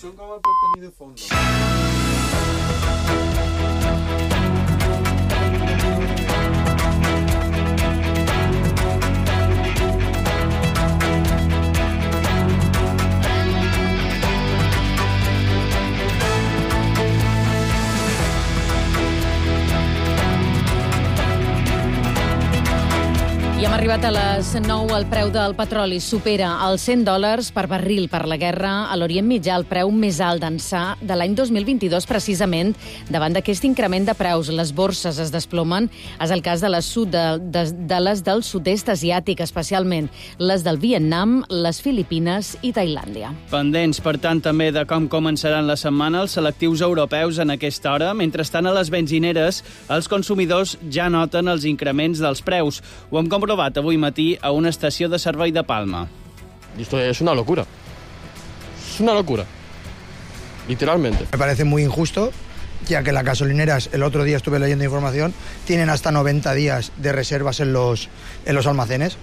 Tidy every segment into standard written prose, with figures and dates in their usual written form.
Son como per tenir de fondo. I hem arribat a les 9. El preu del petroli supera els $100 per barril per la guerra a l'Orient Mitjà, el preu més alt d'ençà de l'any 2022, precisament davant d'aquest increment de preus. Les borses es desplomen. És el cas de les del sud-est asiàtic, especialment les del Vietnam, les Filipines i Tailàndia. Pendents, per tant, també de com començaran la setmana els selectius europeus en aquesta hora. Mentrestant, a les benzineres, els consumidors ja noten els increments dels preus. Ho hem comprovat avui matí a una estació de servei de Palma. Esto es una locura. Es una locura. Literalmente. Me parece muy injusto, ya que las gasolineras, el otro día estuve leyendo información, tienen hasta 90 días de reservas en los almacenes.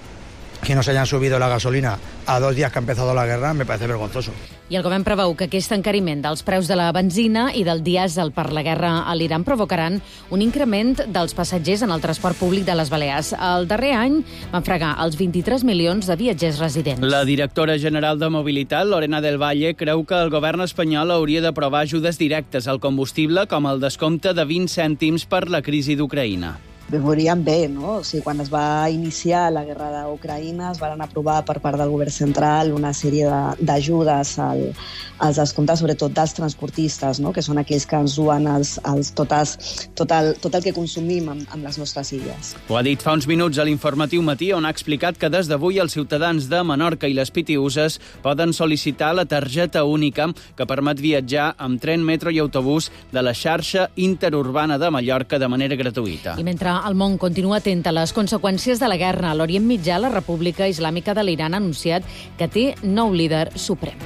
Que no se hayan subido la gasolina a 2 días que ha empezado la guerra me parece vergonzoso. I el govern preveu que aquest encariment dels preus de la benzina i del dièsel per la guerra a l'Iran provocaran un increment dels passatgers en el transport públic de les Balears. El darrer any van fregar els 23 milions de viatgers residents. La directora general de Mobilitat, Lorena del Valle, creu que el govern espanyol hauria d'aprovar ajudes directes al combustible, com el descompte de 20 cèntims per la crisi d'Ucraïna. Veuríem bé, no? O sigui, quan es va iniciar la guerra d'Ucraïna es van aprovar per part del govern central una sèrie d'ajudes als descomptes, sobretot dels transportistes, no? Que són aquells que ens duen tot el que consumim amb les nostres illes. Ho ha dit fa uns minuts a l'Informatiu Matí, on ha explicat que des d'avui els ciutadans de Menorca i les Pitiüses poden sol·licitar la targeta única que permet viatjar amb tren, metro i autobús de la xarxa interurbana de Mallorca de manera gratuïta. I mentre el món continua atent a les conseqüències de la guerra a l'Orient Mitjà, la República Islàmica de l'Iran ha anunciat que té nou líder suprem.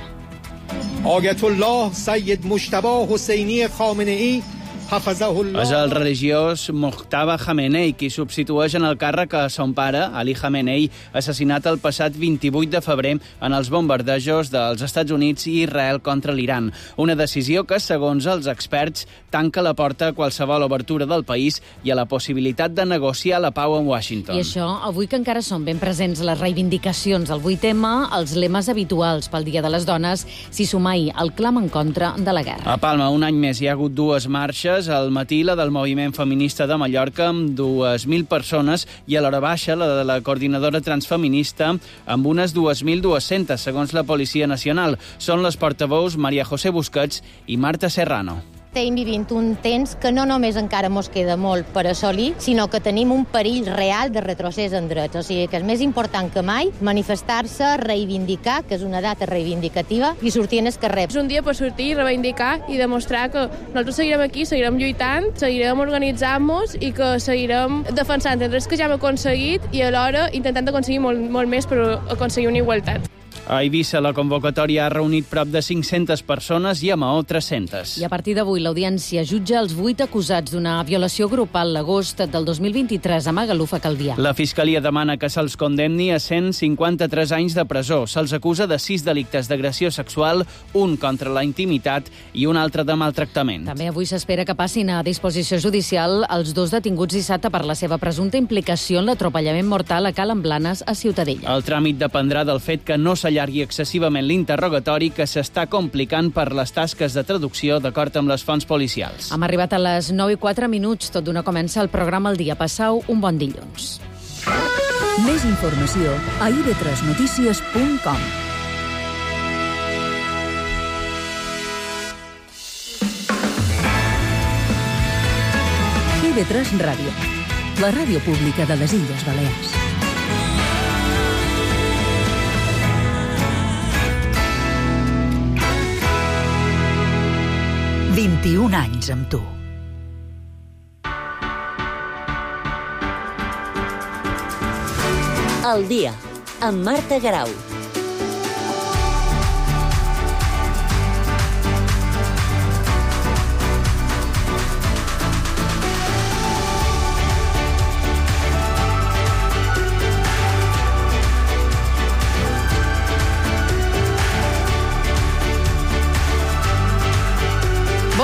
Ayatollah Sayyid Mujtaba Hosseini Khamenei És el religiós Mojtaba Khamenei qui substitueix en el càrrec a son pare, Ali Khamenei, assassinat el passat 28 de febrer en els bombardejos dels Estats Units i Israel contra l'Iran. Una decisió que, segons els experts, tanca la porta a qualsevol obertura del país i a la possibilitat de negociar la pau en Washington. I això, avui que encara són ben presents les reivindicacions del 8M, els lemes habituals pel Dia de les Dones, s'hi suma ahir el clam en contra de la guerra. A Palma, un any més, hi ha hagut 2 marxes. Al matí, la del Moviment Feminista de Mallorca, amb 2.000 persones, i a l'hora baixa, la de la Coordinadora Transfeminista, amb unes 2.200, segons la Policia Nacional. Són les portaveus Maria José Busquets i Marta Serrano. Estem vivint un temps que no només encara mos queda molt per assolir, sinó que tenim un perill real de retrocés en drets. O sigui que és més important que mai manifestar-se, reivindicar, que és una data reivindicativa, i sortir en el carrer. És un dia per sortir, reivindicar i demostrar que nosaltres seguirem aquí, seguirem lluitant, seguirem organitzant-nos i que seguirem defensant els drets que ja hem aconseguit i alhora intentant aconseguir molt més per aconseguir una igualtat. A Eivissa, la convocatòria ha reunit prop de 500 persones i a Maó 300. I a partir d'avui, l'Audiència jutja els 8 acusats d'una violació grupal l'agost del 2023 a Magaluf, a Calvià. La Fiscalia demana que se'ls condemni a 153 anys de presó. Se'ls acusa de 6 delictes d'agressió sexual, un contra la intimitat i un altre de maltractament. També avui s'espera que passin a disposició judicial els 2 detinguts dissabte per la seva presumpta implicació en l'atropellament mortal a Calen Blanes, a Ciutadella. El tràmit dependrà del fet que no s'allargui excessivament l'interrogatori, que s'està complicant per les tasques de traducció d'acord amb les fonts policials. Hem arribat a les 9:04. Tot d'una comença el programa El Dia. Passau un bon dilluns. Més informació a ib3notícies.com. IB3 Ràdio, la ràdio pública de les Illes Balears. «21 anys amb tu». El Dia, amb Marta Garau.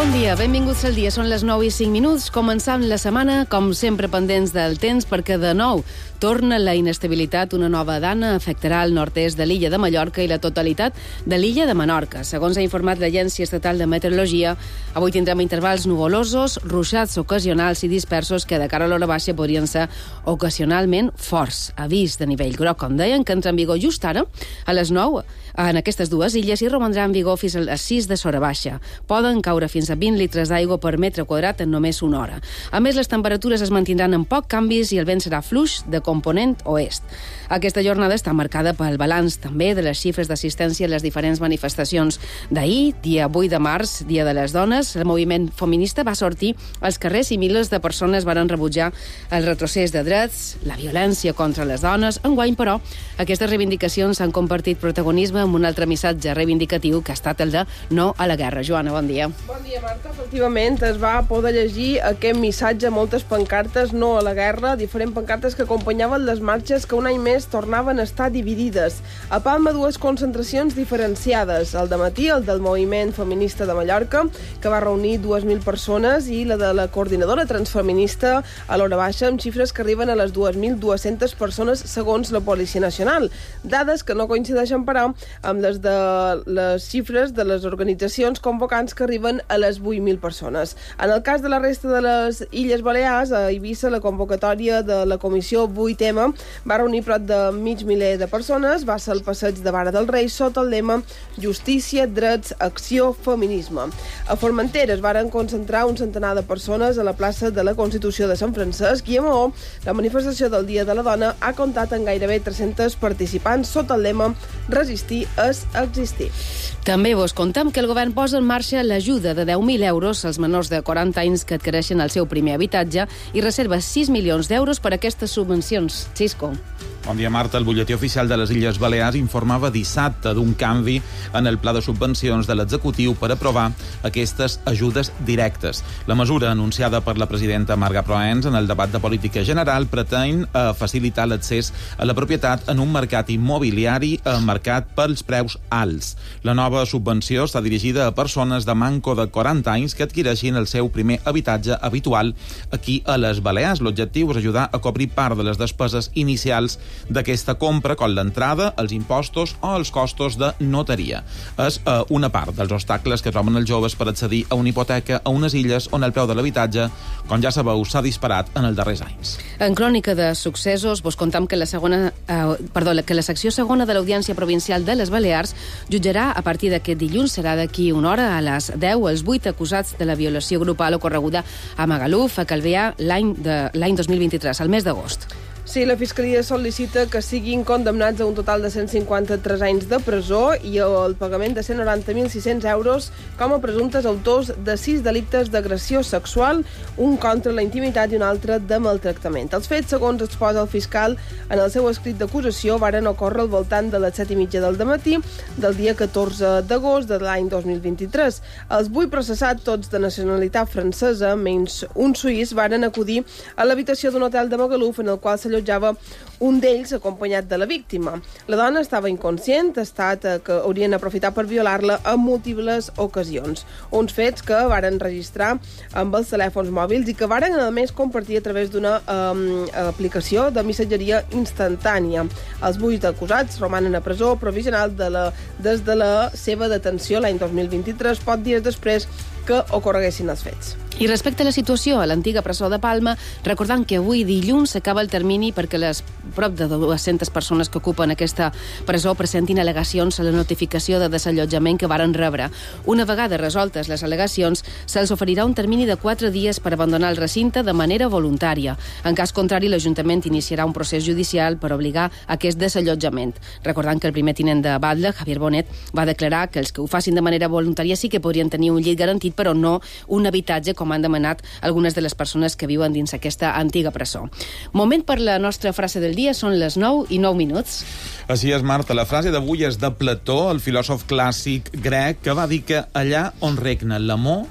Bon dia, benvinguts al dia. Són les 9:05. Començant la setmana, com sempre, pendents del temps, perquè de nou torna la inestabilitat. Una nova dana afectarà el nord-est de l'illa de Mallorca i la totalitat de l'illa de Menorca. Segons ha informat l'Agència Estatal de Meteorologia, avui tindrem intervals nuvolosos, ruixats ocasionals i dispersos que de cara a l'hora baixa podrien ser ocasionalment forts. Avís de nivell groc, com deien, que entra en vigor just ara, a les 9, en aquestes dues illes, i romandrà en vigor fins a les 6 de s'hora baixa. Poden caure fins a 20 litres d'aigua per metre quadrat en només una hora. A més, les temperatures es mantindran amb poc canvis i el vent serà fluix de component oest. Aquesta jornada està marcada pel balanç també de les xifres d'assistència a les diferents manifestacions d'ahir, dia 8 de març, Dia de les Dones. El moviment feminista va sortir als carrers i milers de persones varen rebutjar el retrocés de drets, la violència contra les dones. Enguany, però, aquestes reivindicacions han compartit protagonisme amb un altre missatge reivindicatiu que ha estat el de no a la guerra. Joana, bon dia. Bon dia, Marta. Efectivament, es va poder llegir aquest missatge, moltes pancartes no a la guerra, diferents pancartes que acompanyaven les marxes que un any més tornaven a estar dividides. A Palma, dues concentracions diferenciades. El dematí, el del moviment feminista de Mallorca, que va reunir 2.000 persones, i la de la coordinadora transfeminista a l'hora baixa, amb xifres que arriben a les 2.200 persones segons la Policia Nacional. Dades que no coincideixen, però, amb les xifres de les organitzacions convocants que arriben a les 8.000 persones. En el cas de la resta de les Illes Balears, a Eivissa, la convocatòria de la Comissió 8M va reunir prop de mig miler de persones, va ser el passeig de Vara del Rei sota el lema Justícia, drets, acció, feminisme. A Formentera es varen concentrar un centenar de persones a la plaça de la Constitució de Sant Francesc, i a Maó la manifestació del Dia de la Dona ha comptat amb gairebé 300 participants sota el lema Resistir és existir. També vos contem que el govern posa en marxa l'ajuda de 10.000 euros als menors de 40 anys que adquireixen el seu primer habitatge i reserva 6 milions d'euros per a aquestes subvencions. Xisco. Bon dia, Marta. El butlletí oficial de les Illes Balears informava dissabte d'un canvi en el pla de subvencions de l'executiu per aprovar aquestes ajudes directes. La mesura, anunciada per la presidenta Marga Proens en el debat de política general, pretén facilitar l'accés a la propietat en un mercat immobiliari marcat pels preus alts. La nova subvenció està dirigida a persones de manco de 40 anys que adquireixin el seu primer habitatge habitual aquí a les Balears. L'objectiu és ajudar a cobrir part de les despeses inicials d'aquesta compra, com l'entrada, els impostos o els costos de notaria. És una part dels obstacles que troben els joves per accedir a una hipoteca a unes illes on el preu de l'habitatge, com ja sabeu, s'ha disparat en els darrers anys. En crònica de successos, vos contam que la secció segona de l'Audiència Provincial de les Balears jutjarà a partir d'aquest dilluns, serà d'aquí una hora, a les 10, els 8 acusats de la violació grupal ocorreguda a Magaluf, a Calvià, l'any 2023, al mes d'agost. Sí, la Fiscalia sol·licita que siguin condemnats a un total de 153 anys de presó i el pagament de 190.600 euros com a presumptes autors de 6 delictes d'agressió sexual, un contra la intimitat i un altre de maltractament. Els fets, segons exposa el fiscal en el seu escrit d'acusació, varen ocórrer al voltant de les 7:30 del dematí del dia 14 d'agost de l'any 2023. Els 8 processats, tots de nacionalitat francesa, menys un suís, varen acudir a l'habitació d'un hotel de Magaluf en el qual s'allotjava un d'ells acompanyat de la víctima. La dona estava inconscient, que haurien aprofitat per violar-la en múltiples ocasions. Uns fets que varen registrar amb els telèfons mòbils i que varen, a més, compartir a través d'una aplicació de missatgeria instantània. Els 8 acusats romanen a presó provisional des de la seva detenció l'any 2023, pocs dies després que ocorreguessin els fets. I respecte a la situació a l'antiga presó de Palma, recordant que avui dilluns s'acaba el termini perquè les prop de 200 persones que ocupen aquesta presó presentin al·legacions a la notificació de desallotjament que varen rebre. Una vegada resoltes les al·legacions, se'ls oferirà un termini de 4 dies per abandonar el recinte de manera voluntària. En cas contrari, l'Ajuntament iniciarà un procés judicial per obligar a aquest desallotjament. Recordant que el primer tinent de Batlle, Javier Bonet, va declarar que els que ho facin de manera voluntària sí que podrien tenir un llit garantit, però no un habitatge, com han demanat algunes de les persones que viuen dins aquesta antiga presó. Moment per la nostra frase del dia, són les 9:09. Així és, Marta. La frase d'avui és de Plató, el filòsof clàssic grec, que va dir que allà on regna l'amor,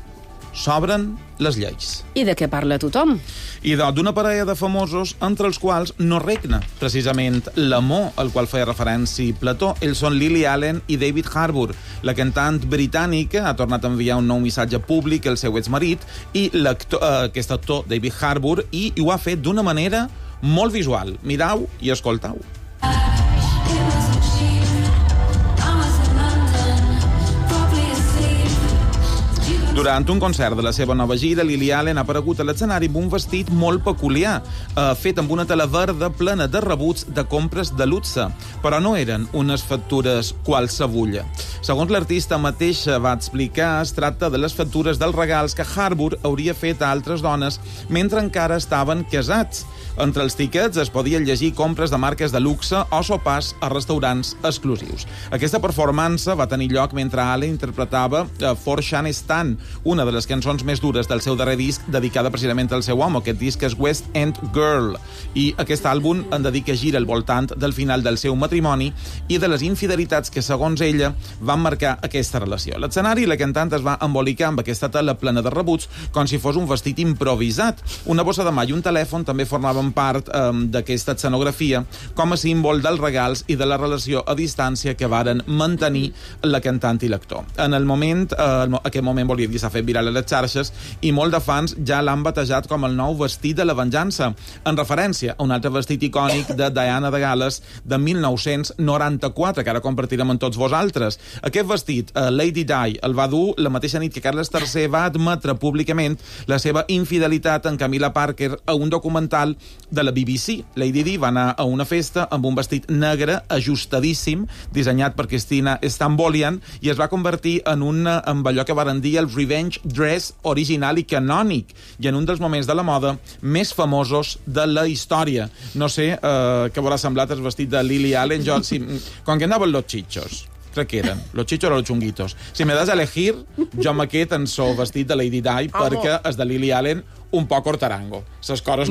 s'obren les lleis. I de què parla tothom? I d'una parella de famosos, entre els quals no regna, precisament, l'amor al qual feia referència Plató. Ells són Lily Allen i David Harbour. La cantant britànica ha tornat a enviar un nou missatge públic al seu exmarit i aquest actor, David Harbour, i ho ha fet d'una manera molt visual. Mirau i escoltau. Durant un concert de la seva nova gira, Lily Allen ha aparegut a l'escenari amb un vestit molt peculiar, fet amb una tela verda plena de rebuts de compres de luxe, però no eren unes factures qualsevulla. Segons l'artista mateixa va explicar, es tracta de les factures dels regals que Harbour hauria fet a altres dones mentre encara estaven casats. Entre els tiquets es podien llegir compres de marques de luxe o sopars a restaurants exclusius. Aquesta performance va tenir lloc mentre Allen interpretava For Shane Stan, una de les cançons més dures del seu darrer disc, dedicada precisament al seu home. Aquest disc és West End Girl, i aquest àlbum en dedica gira al voltant del final del seu matrimoni i de les infidelitats que, segons ella, van marcar aquesta relació. A l'escenari, la cantant es va embolicar amb aquesta tela plena de rebuts com si fos un vestit improvisat. Una bossa de mà i un telèfon també formaven part d'aquesta escenografia com a símbol dels regals i de la relació a distància que varen mantenir la cantant i l'actor. En el moment, aquest moment volia dir, s'ha fet viral a les xarxes i molt de fans ja l'han batejat com el nou vestit de la venjança, en referència a un altre vestit icònic de Diana de Gal·les de 1994, que ara compartirem amb tots vosaltres. Aquest vestit, Lady Di, el va dur la mateixa nit que Carles III va admetre públicament la seva infidelitat en Camilla Parker a un documental de la BBC. Lady Di va anar a una festa amb un vestit negre ajustadíssim, dissenyat per Christina Stambolian, i es va convertir en allò que varen dir el revenge dress original i canònic, i en un dels moments de la moda més famosos de la història. No sé què haurà semblat el vestit de Lily Allen. Quan que anaven los chichos, crec que eren los chichos o los chunguitos. Si me das a elegir, jo m'aquest en so vestit de Lady Di, perquè és de Lily Allen un poc hortarango.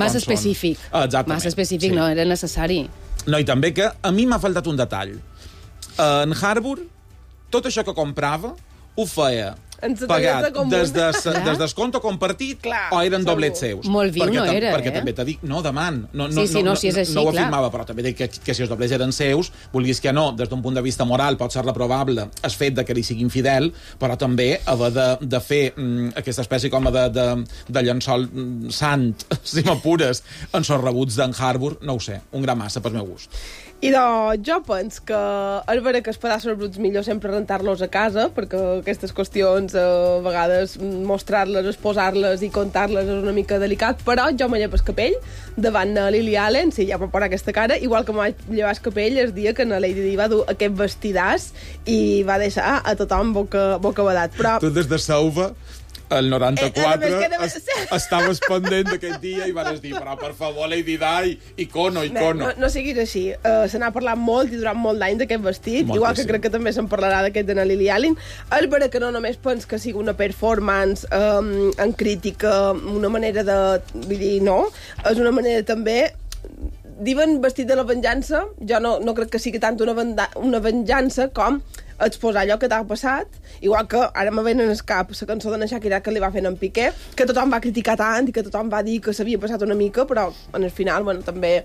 Massa específic. Exactament. Massa específic, sí. No era necessari. No, i també que a mi m'ha faltat un detall. En Harbour, tot això que comprava ho feia pagat des descompte compartit o eren doblets seus. Molt viu no era, perquè també t'ha dit, no demant, no si és així, ho afirmava, però també dic que si els doblets eren seus, vulguis que no, des d'un punt de vista moral pot ser reprovable el fet de que li sigui infidel, però també haver de fer aquesta espècie com de llençol sant, si m'apures, en sos rebuts d'en Harbour, no ho sé, un gran massa pel meu gust. I doncs jo penso que és vera que els pedaços bruts millor sempre rentar-los a casa, perquè aquestes qüestions a vegades mostrar-les, exposar-les i contar-les és una mica delicat, però jo me llevo el capell davant de Lily Allen, sí, ja puc posar aquesta cara, igual que me vaig llevar el capell el dia que na Lady Di va dur aquest vestidàs i va deixar a tothom bocabadat. Però... Tu des de Sauva el 94 estaves pendent d'aquest dia i vas dir, però per favor, Lady Di, icono. No siguis així. Se n'ha parlat molt i durant molt d'anys d'aquest vestit, igual que crec que també se'n parlarà d'aquest de Lily Allen. És vera que no només pens que sigui una performance en crítica, una manera de... Vull dir, no, és una manera també... Diuen vestit de la venjança, jo no crec que sigui tant una venjança com exposar allò que t'ha passat, igual que ara me ven en el cap la cançó de Shakira que li va fer en Piqué, que tothom va criticar tant i que tothom va dir que s'havia passat una mica, però en el final també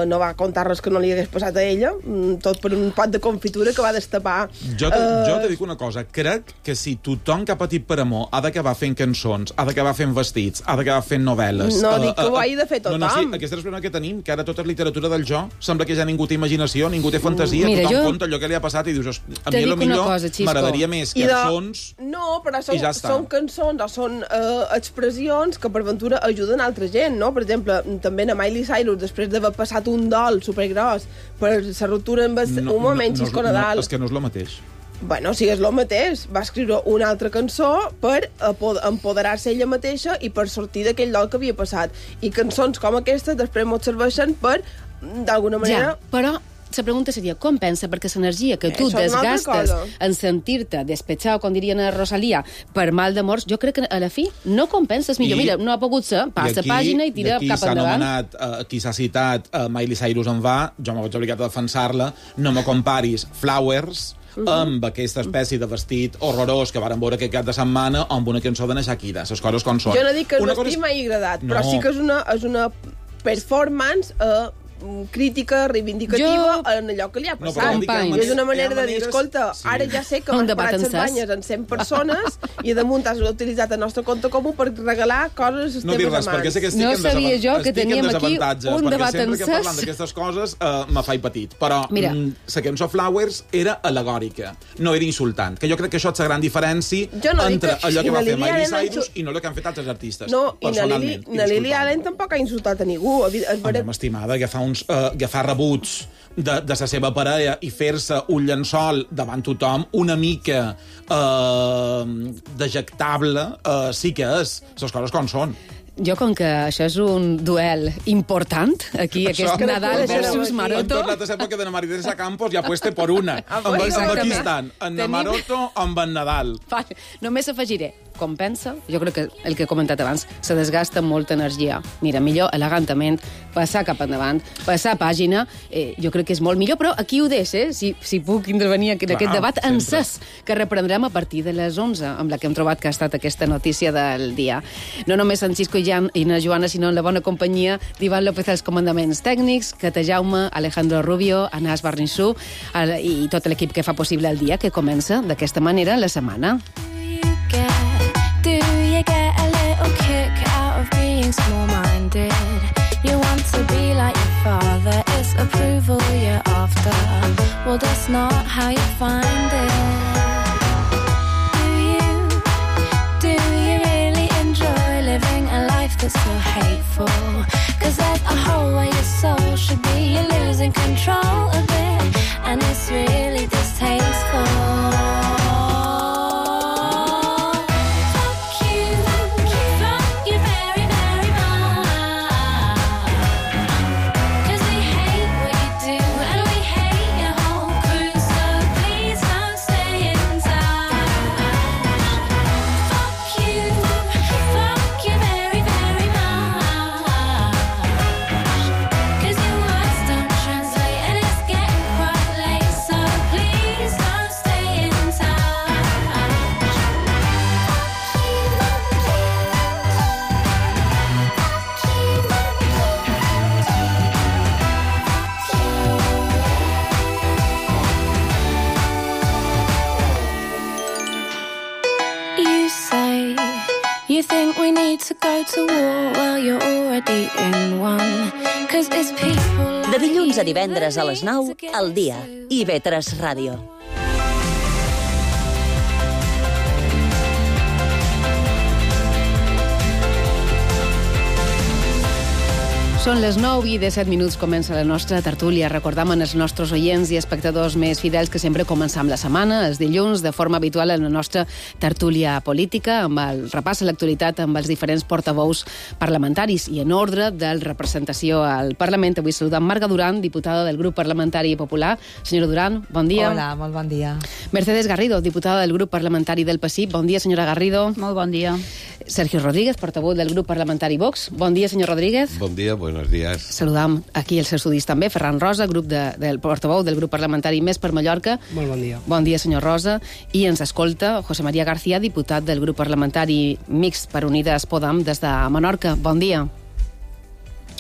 no va contar res que no li hagués passat a ella, tot per un pot de confitura que va destapar. Jo te dic una cosa, crec que si tothom que ha patit per amor ha d'acabar fent cançons, ha d'acabar fent vestits, ha d'acabar fent novel·les... No dic que ho hagi de fer tothom. Sí, aquesta és el problema que tenim, que ara tota és literatura del jo, sembla que ja ningú té imaginació, ningú té fantasia, tothom conta allò que li ha passat i dius... A mi potser m'agradaria més cançons no, però i ja està. Són cançons o són expressions que per ventura ajuden altra gent, no? Per exemple, també a Miley Cyrus, després d'haver passat un dol supergros per la ruptura amb un moment xisco Nadal... És que no és el mateix. Bueno, si és el mateix, va escriure una altra cançó per empoderar-se ella mateixa i per sortir d'aquell dol que havia passat. I cançons com aquestes després mos serveixen per, d'alguna manera... Ja, però... La pregunta seria, com pensa? Perquè l'energia que tu desgastes en sentir-te despetxat, com dirien a Rosalia, per mal d'amors, jo crec que a la fi no compenses millor. Mira, no ha pogut ser, passa pàgina i tira cap endavant. Qui s'ha citat Miley Cyrus en va, jo m'ho vaig obligat a defensar-la, no me comparis Flowers amb aquesta espècie de vestit horrorós que varen veure aquest cap de setmana amb una cançó de na Shakira, les coses com són. Jo no dic que el vestit m'hagi agradat, però sí que és una performance crítica, reivindicativa en allò que li ha passat. És una manera de dir, escolta, ara ja sé que m'han parat les banyes en 100 persones i damunt has utilitzat el nostre compte comú per regalar coses a les teves amants. No sabia jo que teníem aquí un debat encès. Perquè sempre que parlant d'aquestes coses me faig petit. Però la cançó Flowers era alegòrica, no era insultant. Que jo crec que això és la gran diferència entre allò que va fer Miley Cyrus i no el que han fet altres artistes. No, i na Lily Allen tampoc ha insultat a ningú. M'estimada, agafar rebuts de la seva parella i fer-se un llençol davant tothom una mica dejectable, sí que és. Les coses com són. Jo, com que això és un duel important, aquí, aquest Nadal versus Maroto... En tota l'època de Maridensa Campos ja apuesta per una. Amb aquí estan, en Maroto amb en Nadal. Només afegiré, com pensa, jo crec que el que he comentat abans, se desgasta molta energia. Mira, millor elegantment, passar cap endavant, passar pàgina, jo crec que és molt millor, però aquí ho deixo, si puc intervenir en aquest debat encès, que reprendrem a partir de les 11, amb la que hem trobat que ha estat aquesta notícia del dia. No només en Xisco i na Joana, sinó en la bona companyia d'Ivan López als comandaments tècnics, Cata Jaume, Alejandro Rubio, Anas Barnissú i tot l'equip que fa possible el dia, que comença d'aquesta manera la setmana. Do you get a little kick out of being small-minded? You want to be like your father, it's approval you're after. Well, that's not how you find it. Do you really enjoy living a life that's so hateful? 'Cause there's a hole where your soul should be, you're losing control of it, and it's really distasteful. You think we need to go to war? Well, you're already in one. 'Cause it's people like... De dilluns a divendres a les 9, al dia. IB3 Ràdio. Són les 9 i 17 minuts, comença la nostra tertúlia. Recordam als nostres oients i espectadors més fidels que sempre començam la setmana, els dilluns, de forma habitual en la nostra tertúlia política, amb el repàs a l'actualitat amb els diferents portaveus parlamentaris i en ordre de representació al Parlament. Avui saludam Marga Duran, diputada del grup parlamentari popular. Senyora Duran, bon dia. Hola, molt bon dia. Mercedes Garrido, diputada del grup parlamentari del PSI. Bon dia, senyora Garrido. Molt bon dia. Sergio Rodríguez, portaveu del grup parlamentari Vox. Bon dia, senyor Rodríguez. Bon dia, buenos días. Saludam aquí els estudis també. Ferran Rosa, del portaveu del grup parlamentari Més per Mallorca. Molt bon dia. Bon dia, senyor Rosa. I ens escolta José María García, diputat del grup parlamentari Mixt per Unides Podem des de Menorca. Bon dia.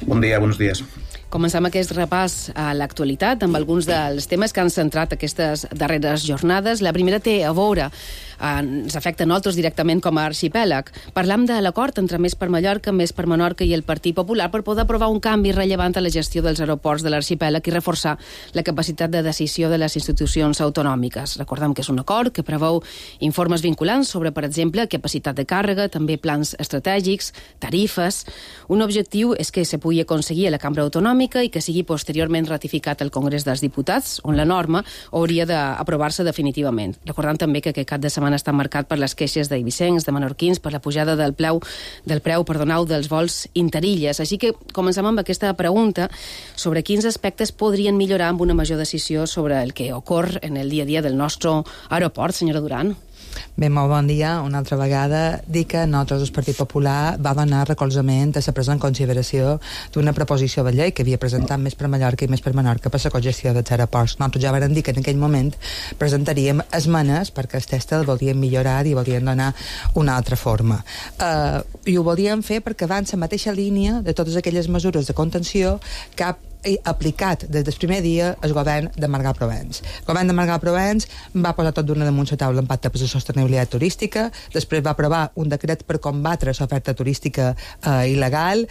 Bon dia, buenos días. Comencem aquest repàs a l'actualitat amb alguns dels temes que han centrat aquestes darreres jornades. La primera té a veure, ens afecta a nosaltres directament com a arxipèlag. Parlam de l'acord entre Més per Mallorca, Més per Menorca i el Partit Popular per poder aprovar un canvi rellevant a la gestió dels aeroports de l'arxipèlag i reforçar la capacitat de decisió de les institucions autonòmiques. Recordem que és un acord que preveu informes vinculants sobre, per exemple, capacitat de càrrega, també plans estratègics, tarifes. Un objectiu és que se pugui aconseguir a la Cambra Autonòmica i que sigui posteriorment ratificat al Congrés dels Diputats, on la norma hauria d'aprovar-se definitivament. Recordant també que aquest cap de setmana està marcat per les queixes d'eivissencs, de menorquins, per la pujada del preu dels vols interilles. Així que comencem amb aquesta pregunta sobre quins aspectes podrien millorar amb una major decisió sobre el que ocorre en el dia a dia del nostre aeroport, senyora Duran. Bé, molt bon dia. Una altra vegada dic que nosaltres, el Partit Popular, va donar recolzament a la presa en consideració d'una proposició de llei que havia presentat Més per Mallorca i Més per Menorca per la cogestió dels aeroports. Nosaltres ja vam dir que en aquell moment presentaríem esmenes perquè el text el volíem millorar i volíem donar una altra forma. I ho volíem fer perquè va en la mateixa línia de totes aquelles mesures de contenció que ha aplicat des del primer dia el govern de Margall Provence. El govern de Margall Provence va posar tot d'una damunt la taula l'impacte per la sostenibilitat turística, després va aprovar un decret per combatre l'oferta turística il·legal.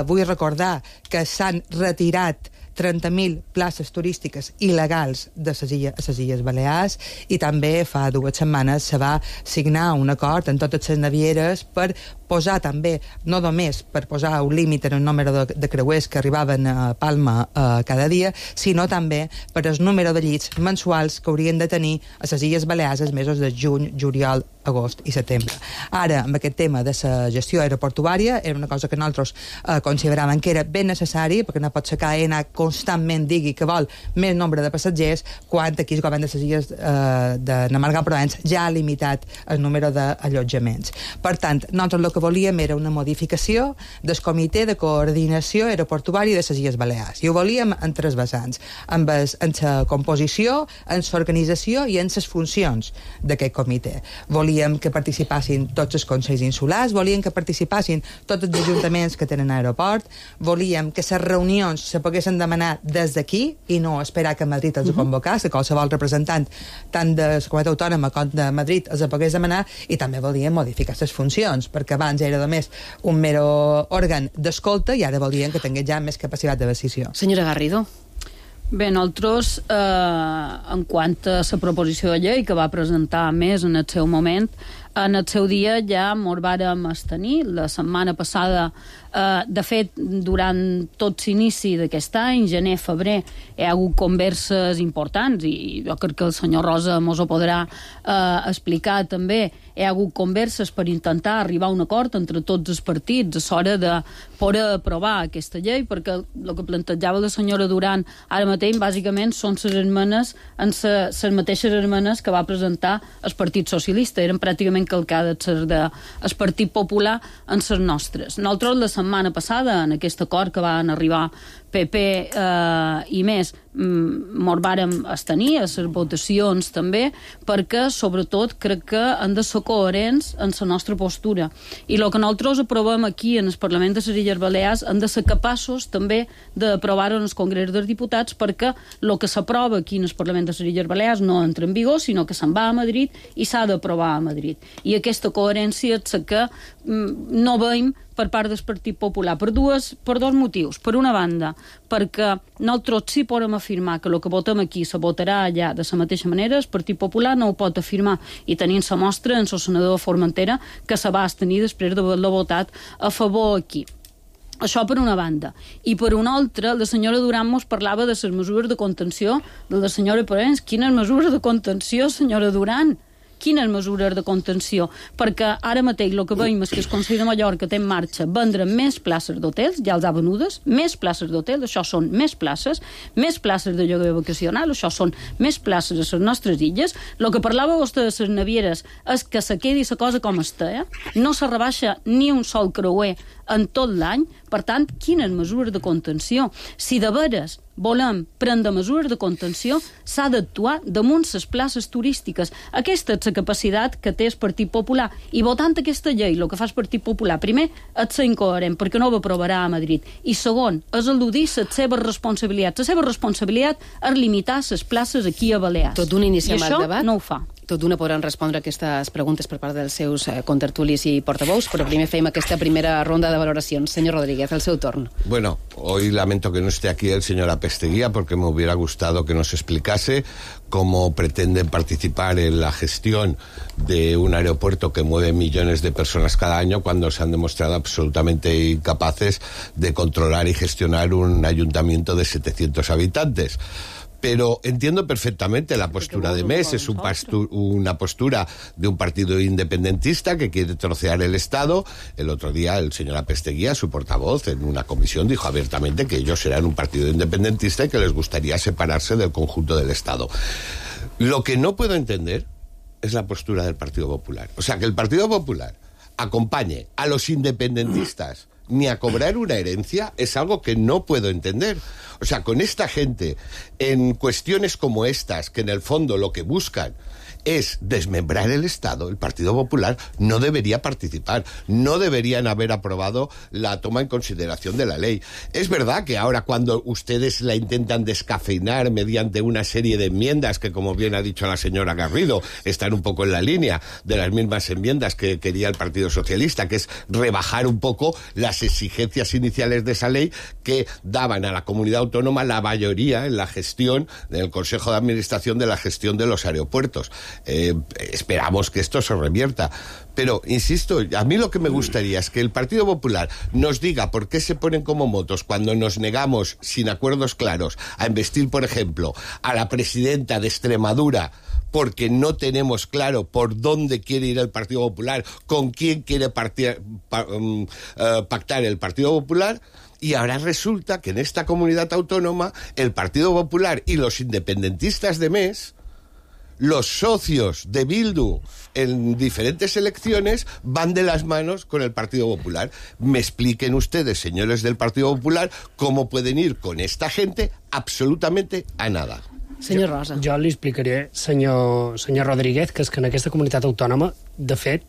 Vull recordar que s'han retirat 30.000 places turístiques il·legals de les Illes Balears i també fa 2 setmanes se va signar un acord en totes les navieres per posar també, no només per posar un límit en el número de creuers que arribaven a Palma cada dia, sinó també per el número de llits mensuals que haurien de tenir a les Illes Balears els mesos de juny, juliol, agost i setembre. Ara, amb aquest tema de la gestió aeroportuària, era una cosa que nosaltres consideràvem que era ben necessari, perquè no pot ser que AENA constantment digui que vol més nombre de passatgers, quan aquí el govern de les Illes de Margall Provence ja ha limitat el número d'allotjaments. Per tant, nosaltres el que volíem era una modificació del Comitè de Coordinació Aeroportuària de les Illes Balears. I ho volíem en 3 vessants, en la composició, en l'organització i en les funcions d'aquest comitè. Volíem que participassin tots els consells insulars, volíem que participassin tots els ajuntaments que tenen aeroport, volíem que les reunions se poguessin demanar des d'aquí i no esperar que Madrid els convocés, que qualsevol representant tant de la comunitat autònoma com de Madrid els pogués demanar, i també volíem modificar les funcions, perquè abans era només un mero òrgan d'escolta i ara volien que tingués ja més capacitat de decisió. Senyora Garrido. Bé, nosaltres, en quant a la proposició de llei que va presentar Més en el seu moment, en el seu dia ja mos vàrem abstenir. La setmana passada, de fet, durant tot l'inici d'aquest any, gener, febrer, hi ha hagut converses importants, i jo crec que el senyor Rosa mos ho podrà explicar també. Hi ha hagut converses per intentar arribar a un acord entre tots els partits a l'hora de poder aprovar aquesta llei, perquè el que plantejava la senyora Duran ara mateix, bàsicament, són les mateixes esmenes que va presentar el Partit Socialista. Eren pràcticament calcades del Partit Popular en les nostres. Nosaltres, la setmana passada, en aquest acord que van arribar PP i Més, mos vàrem abstenir a les votacions també, perquè sobretot crec que han de ser coherents en la nostra postura, i el que nosaltres aprovem aquí en el Parlament de les Illes Balears hem de ser capaços també d'aprovar-ho en el Congrés dels Diputats, perquè el que s'aprova aquí en el Parlament de les Illes Balears no entra en vigor, sinó que se'n va a Madrid i s'ha d'aprovar a Madrid, i aquesta coherència és la que no veiem per part del Partit Popular, per dos motius. Per una banda, perquè nosaltres sí podem afirmar que el que votem aquí se votarà allà de la mateixa manera, el Partit Popular no ho pot afirmar, i tenim la mostra en el senador Formentera, que se va abstenir després d'haver-lo votat a favor aquí. Això per una banda. I per una altra, la senyora Duran mos parlava de les mesures de contenció de la senyora Provence. Quines mesures de contenció, senyora Duran? Quines mesures de contenció? Perquè ara mateix el que veiem és que el Consell de Mallorca té en marxa vendre més places d'hotels, ja els ha venudes, més places d'hotels, això són més places de lloguer vacacional, això són més places a les nostres illes. El que parlava vostè de les navieres és que se quedi la cosa com està, no se rebaixa ni un sol creuer en tot l'any. Per tant, quines mesures de contenció? Si de veres volem prendre mesures de contenció, s'ha d'actuar damunt les places turístiques. Aquesta és la capacitat que té el Partit Popular. I votant aquesta llei, el que fa el Partit Popular, primer, és ser incoherent, perquè no ho aprovarà a Madrid. I segon, és eludir les seves responsabilitats. La seva responsabilitat és limitar les places aquí a Balears. Tot d'un inici amb el debat. I això no ho fa. Tot d'una podran respondre aquestes preguntes per part dels seus contertulis i portavous, però primer fem aquesta primera ronda de valoracions. Senyor Rodríguez, el seu torn. Bueno, hoy lamento que no esté aquí el señor Apesteguía, porque me hubiera gustado que nos explicase cómo pretenden participar en la gestión de un aeropuerto que mueve millones de personas cada año, cuando se han demostrado absolutamente incapaces de controlar y gestionar un ayuntamiento de 700 habitantes. Pero entiendo perfectamente la postura de Més, es una postura de un partido independentista que quiere trocear el Estado. El otro día el señor Apesteguía, su portavoz, en una comisión dijo abiertamente que ellos eran un partido independentista y que les gustaría separarse del conjunto del Estado. Lo que no puedo entender es la postura del Partido Popular. O sea, que el Partido Popular acompañe a los independentistas ni a cobrar una herencia es algo que no puedo entender. O sea, con esta gente, en cuestiones como estas, que en el fondo lo que buscan es desmembrar el Estado, el Partido Popular no debería participar, no deberían haber aprobado la toma en consideración de la ley. Es verdad que ahora cuando ustedes la intentan descafeinar mediante una serie de enmiendas que, como bien ha dicho la señora Garrido, están un poco en la línea de las mismas enmiendas que quería el Partido Socialista, que es rebajar un poco las exigencias iniciales de esa ley que daban a la comunidad autónoma la mayoría en la gestión del Consejo de Administración de la gestión de los aeropuertos. Esperamos que esto se revierta. Pero, insisto, a mí lo que me gustaría es que el Partido Popular nos diga por qué se ponen como motos cuando nos negamos, sin acuerdos claros, a investir, por ejemplo, a la presidenta de Extremadura, porque no tenemos claro por dónde quiere ir el Partido Popular, con quién quiere pactar el Partido Popular. Y ahora resulta que en esta comunidad autónoma el Partido Popular y los independentistas de MES, los socios de Bildu en diferentes elecciones, van de las manos con el Partido Popular. Me expliquen ustedes, señores del Partido Popular, cómo pueden ir con esta gente absolutamente a nada. Senyor Rosa. Jo li explicaré, senyor Rodríguez, que és que en aquesta comunitat autònoma, de fet,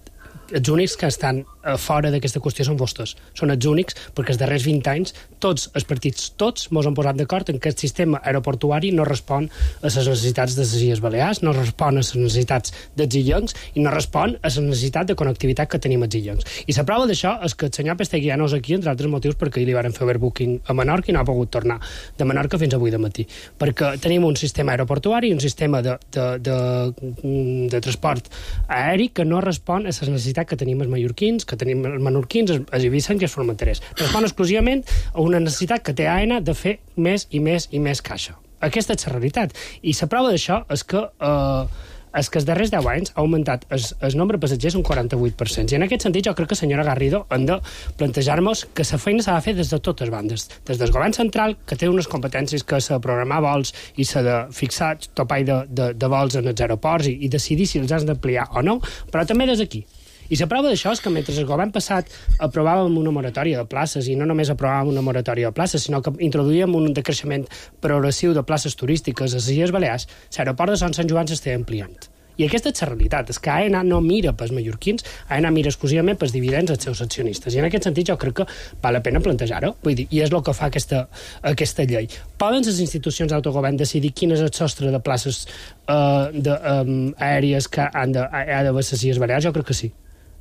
els únics que estan fora d'aquesta qüestió són vostès. Són els únics, perquè els darrers 20 anys tots els partits, tots mos han posat d'acord en que el sistema aeroportuari no respon a les necessitats de les Illes Balears, no respon a les necessitats dels illencs i no respon a la necessitat de connectivitat que tenim els illencs. I la prova d'això és que el senyor Pestegui ja no és aquí, entre altres motius, perquè li van fer overbooking a Menorca i no ha pogut tornar de Menorca fins avui de matí. Perquè tenim un sistema aeroportuari i un sistema de transport aeri que no respon a les necessitats que tenim els mallorquins, que tenim els menorquins, els ibicencs i els formenterers. Respon exclusivament a una necessitat que té AENA de fer més i més i més caixa. Aquesta és la realitat. I la prova d'això és que els darrers 10 anys ha augmentat el nombre de passatgers un 48%. I en aquest sentit jo crec que, senyora Garrido, hem de plantejar-nos que la feina s'ha de fer des de totes bandes. Des del govern central, que té unes competències que s'ha de programar vols i s'ha de fixar topall de vols en els aeroports i decidir si els has d'ampliar o no, però també des d'aquí. I la prova d'això és que mentre el govern passat aprovàvem una moratòria de places, i no només aprovàvem una moratòria de places, sinó que introduïem un decreixement progressiu de places turístiques a les Illes Balears, l'aeroport de Sant Joan s'està ampliant. I aquesta és la realitat, és que AENA no mira pels mallorquins, AENA mira exclusivament pels dividends als seus accionistes. I en aquest sentit jo crec que val la pena plantejar-ho, vull dir, i és el que fa aquesta llei. Poden les institucions d'autogovern decidir quin és el sostre de places aèries que ha d'haver les Illes Balears? Jo crec que sí.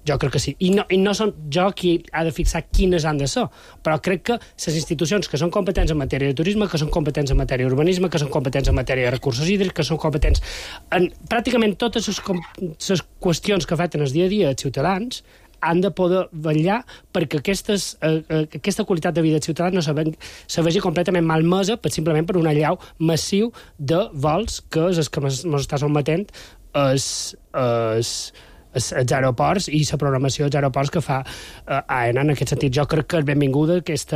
Jo crec que sí. I no són jo qui ha de fixar quines han de ser, però crec que les institucions que són competents en matèria de turisme, que són competents en matèria d'urbanisme, que són competents en matèria de recursos hídrics, que són competents en pràcticament totes les qüestions que afecten el dia a dia dels ciutadans, han de poder vetllar perquè aquesta qualitat de vida dels ciutadans no se vegi completament malmesa simplement per un allau massiu de vols que és el que ens està sotmetent els aeroports i la programació dels aeroports que fa AENA. En aquest sentit, jo crec que és benvinguda aquest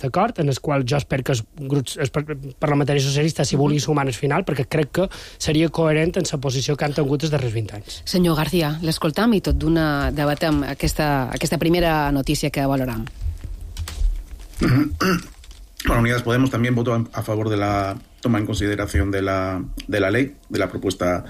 acord, en el qual jo espero que els parlamentaris socialistes s'hi vulgui sumar al final, perquè crec que seria coherent en la posició que han tingut els darrers 20 anys. Senyor García, l'escoltam i tot d'una debatem aquesta primera notícia que valoram. Bueno, Unidas Podemos también votó a favor de la toma en consideración de la ley, de la propuesta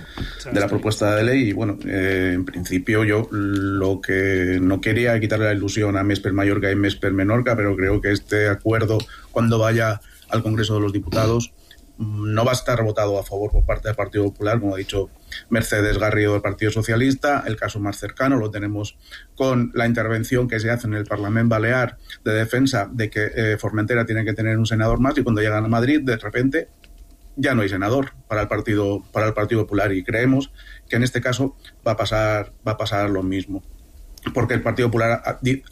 de ley. Y bueno, en principio yo lo que no quería quitarle la ilusión a MES per Mallorca y MES per Menorca, pero creo que este acuerdo, cuando vaya al Congreso de los Diputados, no va a estar votado a favor por parte del Partido Popular, como ha dicho Mercedes Garrido del Partido Socialista. El caso más cercano lo tenemos con la intervención que se hace en el Parlamento Balear de defensa de que Formentera tiene que tener un senador más, y cuando llegan a Madrid, de repente, ya no hay senador para el Partido Popular, y creemos que en este caso va a pasar lo mismo. Porque el Partido Popular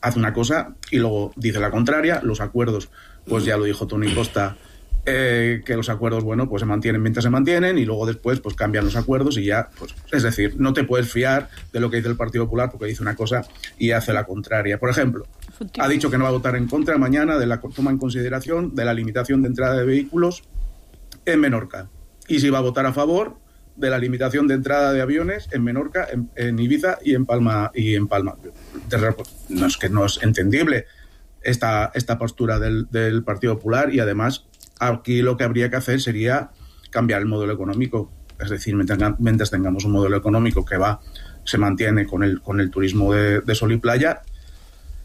hace una cosa y luego dice la contraria. Los acuerdos, pues ya lo dijo Toni Costa, que los acuerdos, bueno, pues se mantienen mientras se mantienen, y luego después pues cambian los acuerdos y ya, pues, es decir, no te puedes fiar de lo que dice el Partido Popular, porque dice una cosa y hace la contraria. Por ejemplo, ha dicho que no va a votar en contra mañana de la toma en consideración de la limitación de entrada de vehículos en Menorca, y si va a votar a favor de la limitación de entrada de aviones en Menorca, en Ibiza y en Palma. No es que no es entendible esta postura del Partido Popular, y además aquí lo que habría que hacer sería cambiar el modelo económico. Es decir, mientras tengamos un modelo económico que se mantiene con el turismo de sol y playa,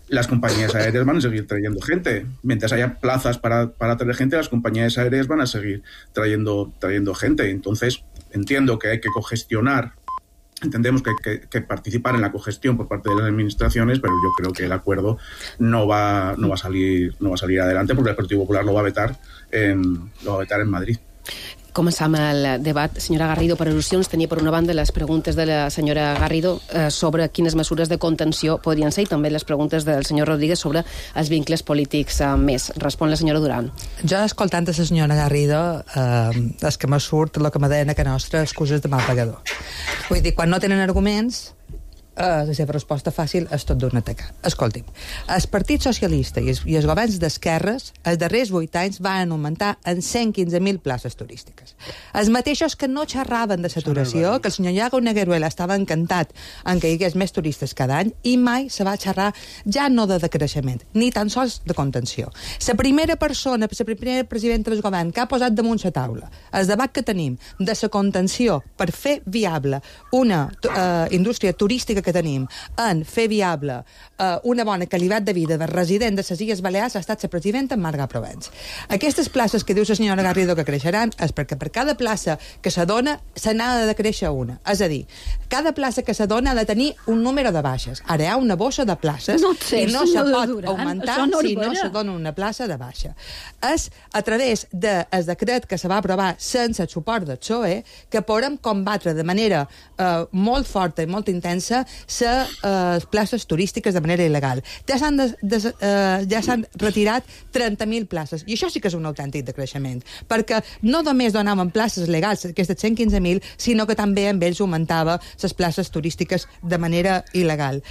las compañías aéreas van a seguir trayendo gente. Mientras haya plazas para traer gente, las compañías aéreas van a seguir trayendo gente. Entonces, entiendo que hay que cogestionar, entendemos que hay que participar en la cogestión por parte de las administraciones, pero yo creo que el acuerdo no va a salir adelante, porque el Partido Popular lo va a vetar en Madrid. Començam el debat. Senyora Garrido, per al·lusions, tenia per una banda les preguntes de la senyora Garrido sobre quines mesures de contenció podrien ser, i també les preguntes del senyor Rodríguez sobre els vincles polítics més. Respon la senyora Duran. Jo, escoltant la senyora Garrido, és que me surt el que me deien a que nostra, excuses de mal pagador. Vull dir, quan no tenen arguments, la seva resposta fàcil és tot d'un atacar. Escolti'm, el Partit Socialista i els governs d'esquerres els darrers 8 anys van augmentar en 115.000 places turístiques. Els mateixos que no xerraven de saturació, que el senyor Iago Negueruela estava encantat en que hi hagués més turistes cada any, i mai se va xerrar ja no de decreixement, ni tan sols de contenció. La primera persona, la primera presidenta del govern que ha posat damunt la taula el debat que tenim de la contenció per fer viable una indústria turística que tenim en fer viable una bona qualitat de vida de resident de les Illes Balears ha estat la presidenta Marga Provence. Aquestes places que diu la senyora Garrido que creixeran és perquè per cada plaça que se dona se n'ha de créixer una. És a dir, cada plaça que se dona ha de tenir un número de baixes. Ara hi ha una bossa de places i no se pot augmentar si no se dona una plaça de baixa. És a través del decret que se va aprovar sense el suport del PSOE que podem combatre de manera molt forta i molt intensa les places turístiques de manera il·legal. Ja s'han retirat 30.000 places, i això sí que és un autèntic decreixement, perquè no només donaven places legals, aquestes 115.000, sinó que també amb ells augmentava les places turístiques de manera il·legal.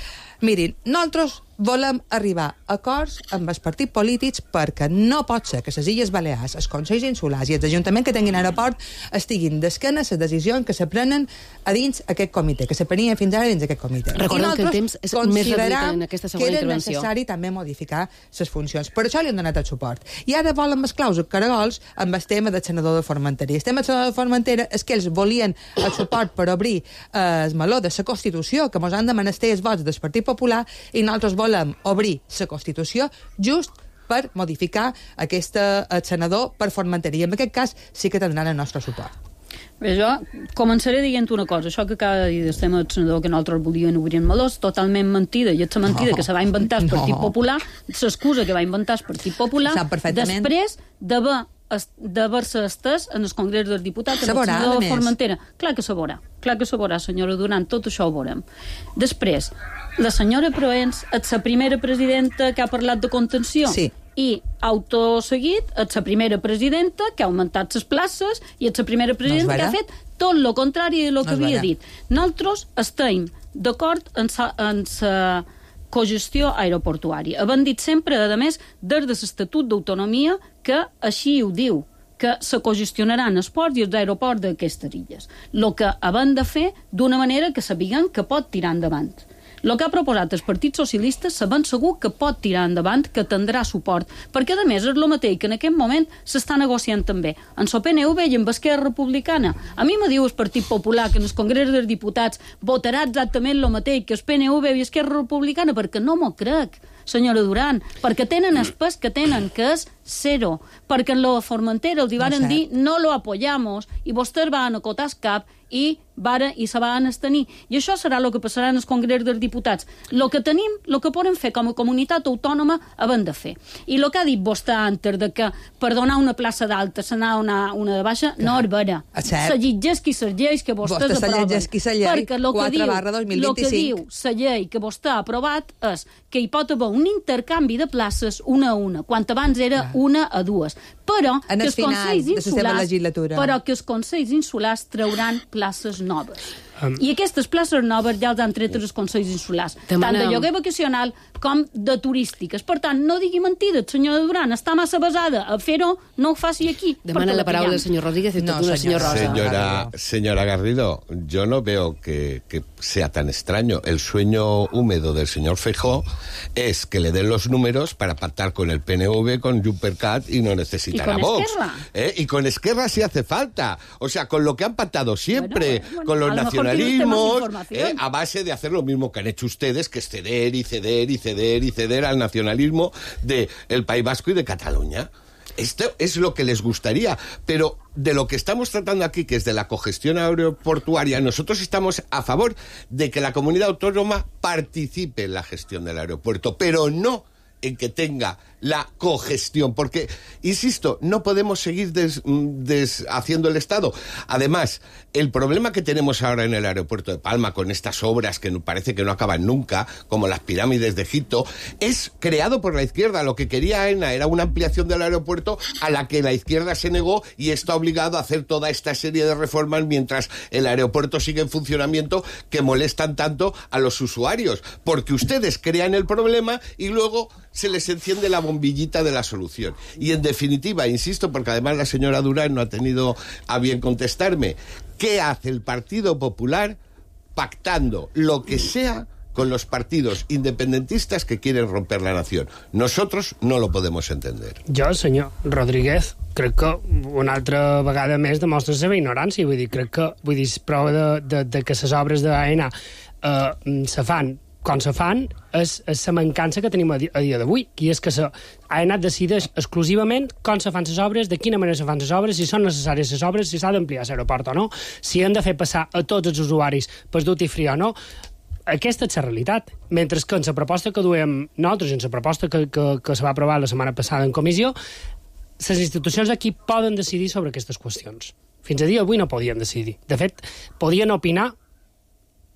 Mirin, nosaltres volem arribar a acords amb els partits polítics perquè no pot ser que les Illes Balears, els Consells Insulars i els ajuntaments que tinguin aeroport estiguin d'esquena les decisions que se prenen a dins aquest comitè, que se prenien fins ara dins aquest comitè. Recordem que el temps és més reduït en aquesta segona intervenció. Que era necessari també modificar les funcions. Per això li han donat el suport. I ara volen mesclar els caragols amb el tema del senador de Formentera. El tema del senador de Formentera és que ells volien el suport per obrir el meló de la Constitució, que mos han de menester els vots del Partit Popular, i nosaltres volem obrir la Constitució just per modificar aquest senador per Formentera. I en aquest cas sí que tindran el nostre suport. Bé, jo començaré dient una cosa. Això que acaba de dir del tema del senador que nosaltres volien obrir en melós, totalment mentida, i és la mentida que se va inventar el Partit Popular, l'excusa que va inventar el Partit Popular, després d'haver-se estès en el Congrés dels Diputats en el senador de Formentera. Clar que se veurà, senyora Duran, tot això ho veurem. Després, la senyora Proens és la primera presidenta que ha parlat de contenció. Sí. I, autoseguit, és la primera presidenta que ha augmentat les places i és la primera presidenta que ha fet tot el contrari del que havia dit. Nosaltres estem d'acord en la cogestió aeroportuària. Havent dit sempre, a més, des de l'Estatut d'Autonomia, que així ho diu, que se cogestionaran els ports i els aeroports d'aquestes illes. El que havent de fer d'una manera que sapiguem que pot tirar endavant. El que ha proposat el Partit Socialista sabent segur que pot tirar endavant, que tindrà suport, perquè a més és el mateix que en aquest moment s'està negociant també en el PNV i amb Esquerra Republicana. A mi me diu el Partit Popular que en el Congrés dels Diputats votarà exactament el mateix que el PNV i Esquerra Republicana, perquè no m'ho crec, senyora Duran, perquè tenen el pes que tenen, que és zero, perquè en la Formentera els varen dir no lo apoyamos i vostès van acotar el cap i se van abstenir. I això serà el que passarà en el Congrés dels Diputats. El que tenim, el que podem fer com a comunitat autònoma, havent de fer. I el que ha dit vostè antes, de que per donar una plaça d'alta se n'ha una de baixa, no és vera. Se llegeix qui se lleis que vostès aproven. Perquè el que diu la llei que vostè ha aprovat és que hi pot haver un intercanvi de places una a una, quan abans era una a dues. Però que els Consells Insulars trauran places noves. I aquestes places noves ja els han tret els consells insulars, tant de lloguer vacacional com de turístiques. Per tant, no digui mentides, senyora Duran, està massa basada a fer-ho, no ho faci aquí. Demana la paraula el senyor Rodríguez y tú, señor Rosa. Señora Garrido, yo no veo que sea tan extraño. El sueño húmedo del señor Feijóo es que le den los números para pactar con el PNV, con Junquerat y no necesitar a Vox. Y con Esquerra si hace falta. O sea, con lo que han pactado siempre, con los nacionalismos, a base de hacer lo mismo que han hecho ustedes, que es ceder y ceder y ceder y ceder al nacionalismo del País Vasco y de Cataluña. Esto es lo que les gustaría, pero de lo que estamos tratando aquí, que es de la cogestión aeroportuaria, nosotros estamos a favor de que la comunidad autónoma participe en la gestión del aeropuerto, pero no en que tenga la cogestión, porque, insisto, no podemos seguir haciendo el Estado. Además, el problema que tenemos ahora en el aeropuerto de Palma, con estas obras que parece que no acaban nunca, como las pirámides de Egipto, es creado por la izquierda. Lo que quería AENA era una ampliación del aeropuerto a la que la izquierda se negó y está obligado a hacer toda esta serie de reformas mientras el aeropuerto sigue en funcionamiento, que molestan tanto a los usuarios, porque ustedes crean el problema y luego se les enciende la bombillita de la solución. Y en definitiva, insisto, porque además la señora Durán no ha tenido a bien contestarme, ¿qué hace el Partido Popular pactando lo que sea con los partidos independentistas que quieren romper la nación? Nosotros no lo podemos entender. Jo, senyor Rodríguez, crec que una altra vegada més demostra la seva ignorància. Vull dir, prova de que les obres d'AENA se fan com se fan és la mancança que tenim a dia d'avui, que és que AENA decideix exclusivament com se fan les obres, de quina manera se fan les obres, si són necessàries les obres, si s'ha d'ampliar l'aeroport o no, si han de fer passar a tots els usuaris per duty free o no. Aquesta és la realitat. Mentre que en la proposta que duem nosaltres, en la proposta que se va aprovar la setmana passada en comissió, les institucions d'aquí poden decidir sobre aquestes qüestions. Fins a dia d'avui no podien decidir. De fet, podien opinar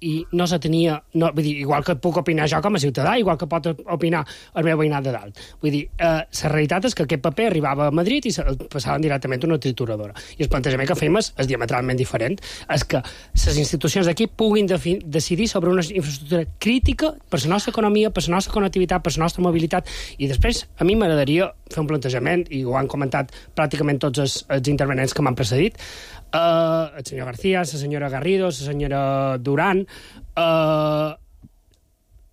i no se tenia... vull dir, igual que puc opinar jo com a ciutadà, igual que pot opinar el meu veïnat de dalt. Vull dir, la realitat és que aquest paper arribava a Madrid i el passaven directament a una trituradora. I el plantejament que fem és diametralment diferent. És que les institucions d'aquí puguin decidir sobre una infraestructura crítica per la nostra economia, per la nostra connectivitat, per la nostra mobilitat. I després, a mi m'agradaria fer un plantejament, i ho han comentat pràcticament tots els intervenents que m'han precedit, el senyor García, la senyora Garrido, la senyora Duran.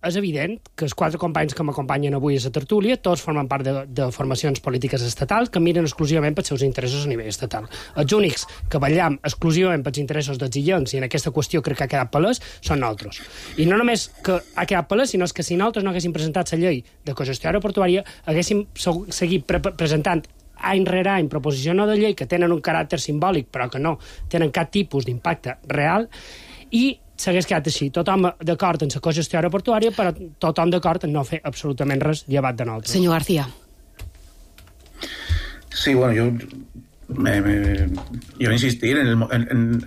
És evident que els 4 companys que m'acompanyen avui a la tertúlia tots formen part de formacions polítiques estatals que miren exclusivament pels seus interessos a nivell estatal. Els únics que vetllam exclusivament pels interessos dels illencs, i en aquesta qüestió crec que ha quedat palès, són nosaltres. I no només que ha quedat palès, sinó que si nosaltres no haguéssim presentat la llei de cogestió aeroportuària, haguéssim seguit presentant any rere any proposicions de llei que tenen un caràcter simbòlic però que no tenen cap tipus d'impacte real, i s'hagués quedat així, tothom d'acord en la cogestió aeroportuària, però tothom d'acord en no fer absolutament res llevat de nosaltres. Senyor García. Sí, bueno, yo insistir en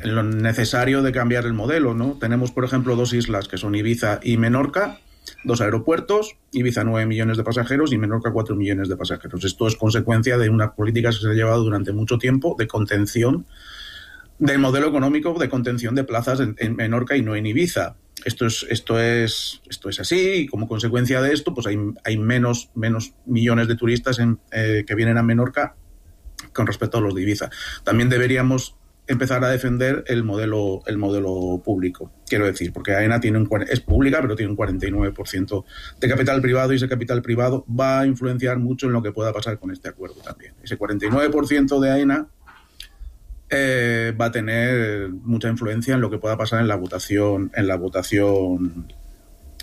lo necesario de cambiar el modelo, ¿no? Tenemos, por ejemplo, 2 islas que son Ibiza y Menorca, 2 aeropuertos, Ibiza 9 millones de pasajeros y Menorca 4 millones de pasajeros. Esto es consecuencia de unas políticas que se han llevado durante mucho tiempo de contención del modelo económico, de contención de plazas en Menorca y no en Ibiza. Esto es así, y como consecuencia de esto pues hay menos millones de turistas que vienen a Menorca con respecto a los de Ibiza. También deberíamos empezar a defender el modelo público, quiero decir, porque AENA es pública, pero tiene un 49% de capital privado, y ese capital privado va a influenciar mucho en lo que pueda pasar con este acuerdo también. Ese 49% de AENA va a tener mucha influencia en lo que pueda pasar en la votación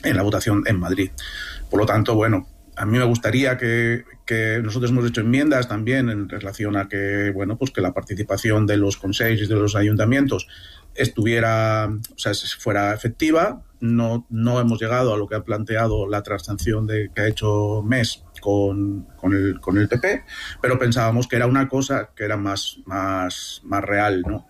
en Madrid. Por lo tanto, bueno, a mí me gustaría que nosotros hemos hecho enmiendas también en relación a que, bueno, pues que la participación de los consejos y de los ayuntamientos fuera efectiva. No hemos llegado a lo que ha planteado la transacción que ha hecho MES con el PP, pero pensábamos que era una cosa que era más real, ¿no?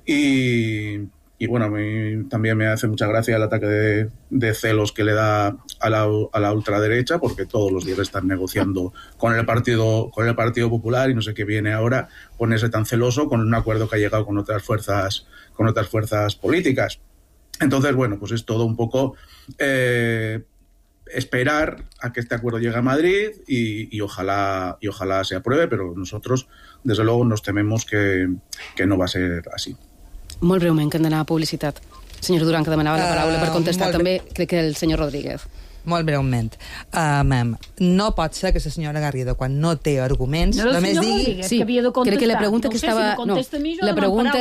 Y bueno, a mí también me hace mucha gracia el ataque de celos que le da a la ultraderecha, porque todos los días están negociando con el Partido Popular, y no sé qué viene ahora ponerse tan celoso con un acuerdo que ha llegado con otras fuerzas políticas. Entonces, bueno, pues es todo un poco esperar a que este acuerdo llegue a Madrid y ojalá se apruebe, pero nosotros, desde luego, nos tememos que no va a ser así. Molt breument, que hem d'anar a publicitat. Senyor Duran, que demanava la paraula per contestar també, crec que el senyor Rodríguez. Molt breument. No pot ser que la senyora Garrido, quan no té arguments, només digui... Sí, crec que la pregunta que estava... La pregunta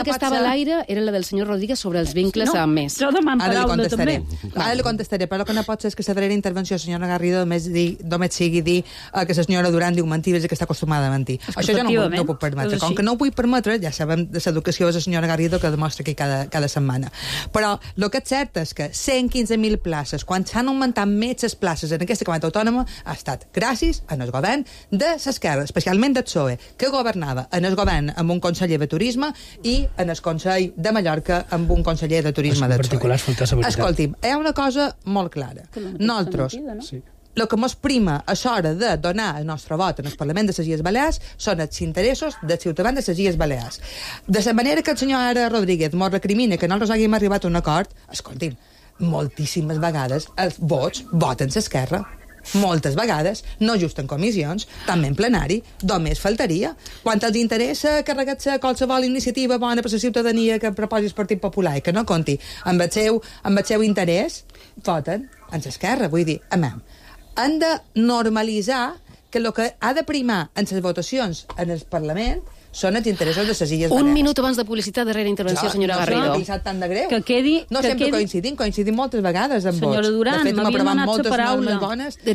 que estava a l'aire era la del senyor Rodríguez sobre els vincles amb més. Jo demano paraula també. Ara li contestaré, però el que no pot ser és que la darrera intervenció de la senyora Garrido només sigui dir que la senyora Duran diu mentides i que està acostumada a mentir. Això jo no ho puc permetre. Com que no ho vull permetre, ja sabem de l'educació de la senyora Garrido que demostra aquí cada setmana. Però el que és cert és que 115.000 places, quan s'han augmentat més les places en aquesta comunitat autònoma, ha estat gràcies al govern de l'esquerra, especialment del PSOE, que governava en el govern amb un conseller de turisme i en el Consell de Mallorca amb un conseller de turisme del PSOE. Escolti'm, hi ha una cosa molt clara. Nosaltres, el que ens prima a l'hora de donar el nostre vot en el Parlament de les Illes Balears són els interessos dels ciutadans de les Illes Balears. De la manera que el senyor Rodríguez ens recrimina que nosaltres haguem arribat a un acord, escolti'm, moltíssimes vegades els vots voten l'esquerra. Moltes vegades, no just en comissions, també en plenari, només faltaria. Quan els interessa carregar-se qualsevol iniciativa bona per la ciutadania que proposi el Partit Popular i que no compti amb el seu interès, voten en l'esquerra. Vull dir, han de normalitzar que el que ha de primar en les votacions en el Parlament són els interessos de les Illes Balears. Un minut abans de publicitat, darrera intervenció, senyora Garrido. No s'ha tan de greu. No sempre coincidim moltes vegades amb vots. Senyora Duran, m'havien donat la paraula.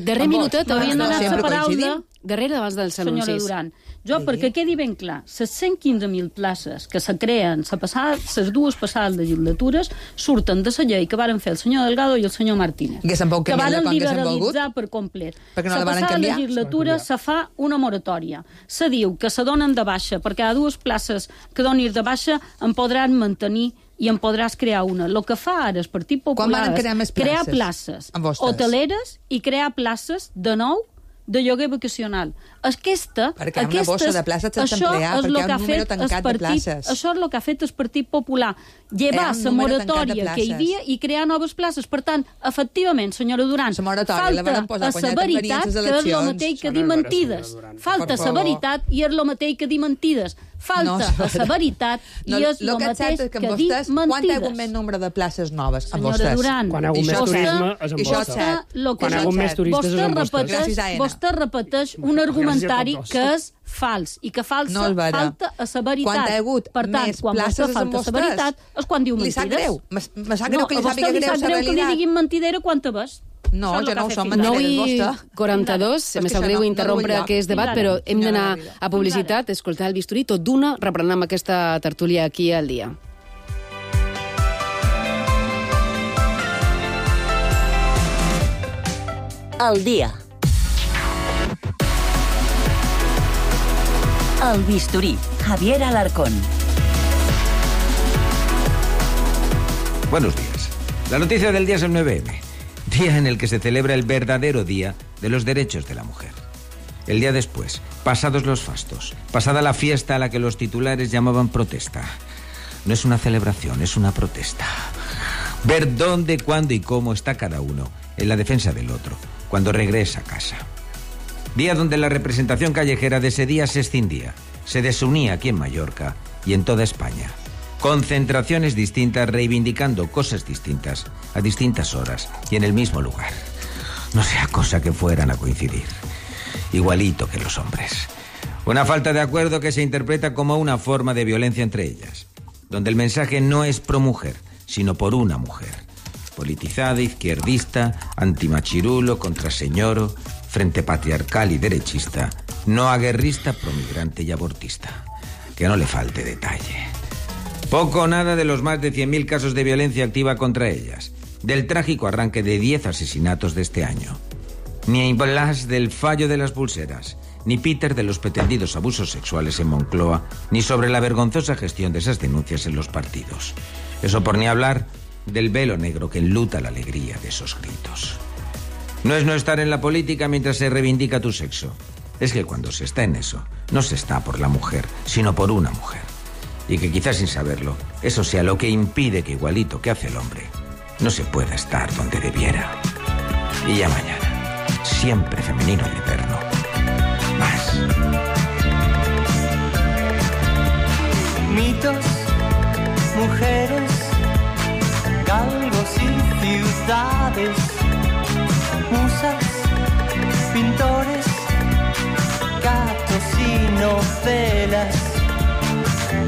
Darrer minutet, m'havien donat la paraula. Darrere abans dels anuncis. Senyora Duran, jo, perquè quedi ben clar, les 115.000 places que se creen les dues passades legislatures surten de la llei que varen fer el senyor Delgado i el senyor Martínez, que varen liberalitzar per complet. La passada legislatura se fa una moratòria. Se diu que se donen de baixa, per cada dues places que donin de baixa en podran mantenir i en podràs crear una. El que fa ara el Partit Popular és crear places hoteleres i crear places de nou de lloguer vacacional. Perquè una bossa de places sense emplear, perquè hi ha un número tancat de places. Això és el que ha fet el Partit Popular. Llevar la moratòria que hi havia i crear noves places. Per tant, efectivament, senyora Duran, falta a la veritat que és el mateix que dir mentides. Falta la veritat i és el mateix que dir mentides. Falta la veritat i és el mateix que dir mentides. Quan hi ha hagut més nombre de places noves amb vostès? Senyora Duran, quan hi ha hagut més turisme és amb vostès. Vostè repeteix un argumentari que és fals i que falta a la veritat. Per tant, quan vostè falta a la veritat és quan diu mentides. Li sap greu. Me sap greu que li sàpiga greu la realitat. Que li diguin mentidera quanta vegades. No, jo no ho som mentideres, vostè. 9:42, me sap greu interrompre aquest debat, però hem d'anar a publicitat, escoltar el bisturí, tot d'una, reprenem amb aquesta tertúlia aquí al dia. Al dia. El bisturí, Javier Alarcón. Buenos días. La noticia del día es el 9M, día en el que se celebra el verdadero Día de los Derechos de la Mujer. El día después, pasados los fastos, pasada la fiesta a la que los titulares llamaban protesta. No es una celebración, es una protesta. Ver dónde, cuándo y cómo está cada uno en la defensa del otro, cuando regresa a casa. Día donde la representación callejera de ese día se escindía, se desunía aquí en Mallorca y en toda España. Concentraciones distintas reivindicando cosas distintas a distintas horas y en el mismo lugar. No sea cosa que fueran a coincidir. Igualito que los hombres. Una falta de acuerdo que se interpreta como una forma de violencia entre ellas, donde el mensaje no es pro mujer, sino por una mujer. Politizada, izquierdista, antimachirulo, contraseñoro, frente patriarcal y derechista, no aguerrista, promigrante y abortista. Que no le falte detalle. Poco o nada de los más de 100.000 casos de violencia activa contra ellas, del trágico arranque de 10 asesinatos de este año. Ni Blas del fallo de las pulseras, ni Peter de los pretendidos abusos sexuales en Moncloa, ni sobre la vergonzosa gestión de esas denuncias en los partidos. Eso por ni hablar del velo negro que enluta la alegría de esos gritos. No es no estar en la política mientras se reivindica tu sexo. Es que cuando se está en eso, no se está por la mujer, sino por una mujer. y que quizás sin saberlo, eso sea lo que impide que igualito que hace el hombre, no se pueda estar donde debiera. Y ya mañana, siempre femenino y eterno. Más. Mitos, mujeres, galgos y ciudades, musas, pintores, gatos y novelas,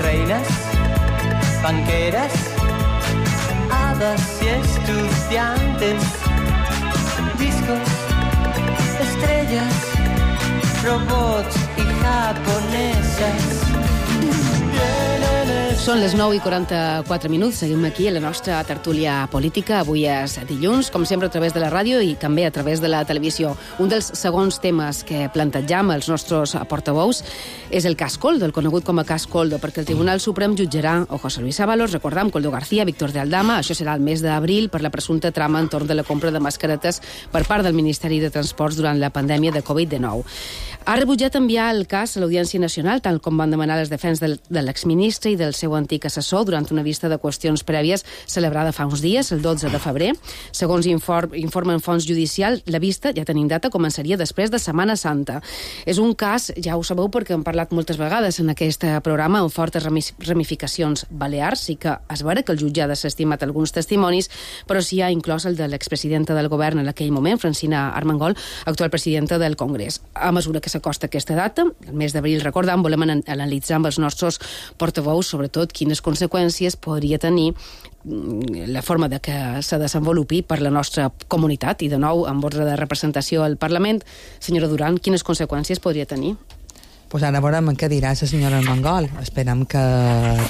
reinas, banqueras, hadas y estudiantes, discos, estrellas, robots y japonesas. Són les 9:44. Seguim aquí a la nostra tertúlia política. Avui és dilluns, com sempre, a través de la ràdio i també a través de la televisió. Un dels segons temes que plantejam als nostres portaveus és el cas Koldo, el conegut com a cas Koldo, perquè el Tribunal Suprem jutjarà a José Luis Ábalos, recordam, Koldo García, Víctor de Aldama. Això serà el mes d'abril per la presumpta trama entorn de la compra de mascaretes per part del Ministeri de Transports durant la pandèmia de Covid-19. Ha rebutjat enviar el cas a l'Audiència Nacional, tal com van demanar les defenses de l'exministre i del seu antic assessor durant una vista de qüestions prèvies celebrada fa uns dies, el 12 de febrer. Segons informen fonts judicials, la vista, ja tenim data, començaria després de Setmana Santa. És un cas, ja ho sabeu perquè hem parlat moltes vegades en aquest programa, amb fortes ramificacions balears. Sí que es veure que el jutge ha desestimat alguns testimonis, però s'hi ha inclòs el de l'expresidenta del govern en aquell moment, Francina Armengol, actual presidenta del Congrés. A mesura que s'acosta aquesta data, el mes d'abril, recordam, volem analitzar amb els nostres portaveus, sobretot, quines conseqüències podria tenir la forma de que se desenvolupi per la nostra comunitat. I, de nou, amb ordre de representació al Parlament, senyora Duran, quines conseqüències podria tenir? Pues ara veurem què dirà la senyora Armengol. Esperem que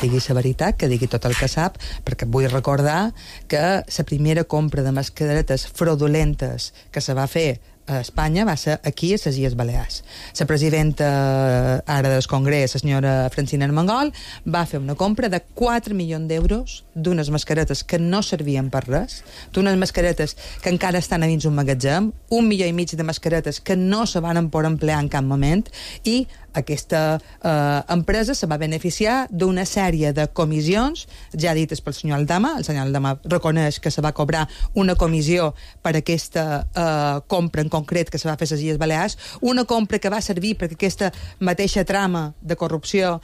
digui la veritat, que digui tot el que sap, perquè vull recordar que la primera compra de mascaretes fraudulentes que se va fer a Espanya va ser aquí, a les Illes Balears. La presidenta ara del Congrés, la senyora Francina Armengol, va fer una compra de 4 milions d'euros d'unes mascaretes que no servien per res, d'unes mascaretes que encara estan a dins un magatzem, 1,5 milions de mascaretes que no se van poder emplear en cap moment, i aquesta empresa se va beneficiar d'una sèrie de comissions, ja dites pel senyor Aldama. El senyor Aldama reconeix que se va cobrar una comissió per aquesta compra en concret que se va fer a les Illes Balears, una compra que va servir perquè aquesta mateixa trama de corrupció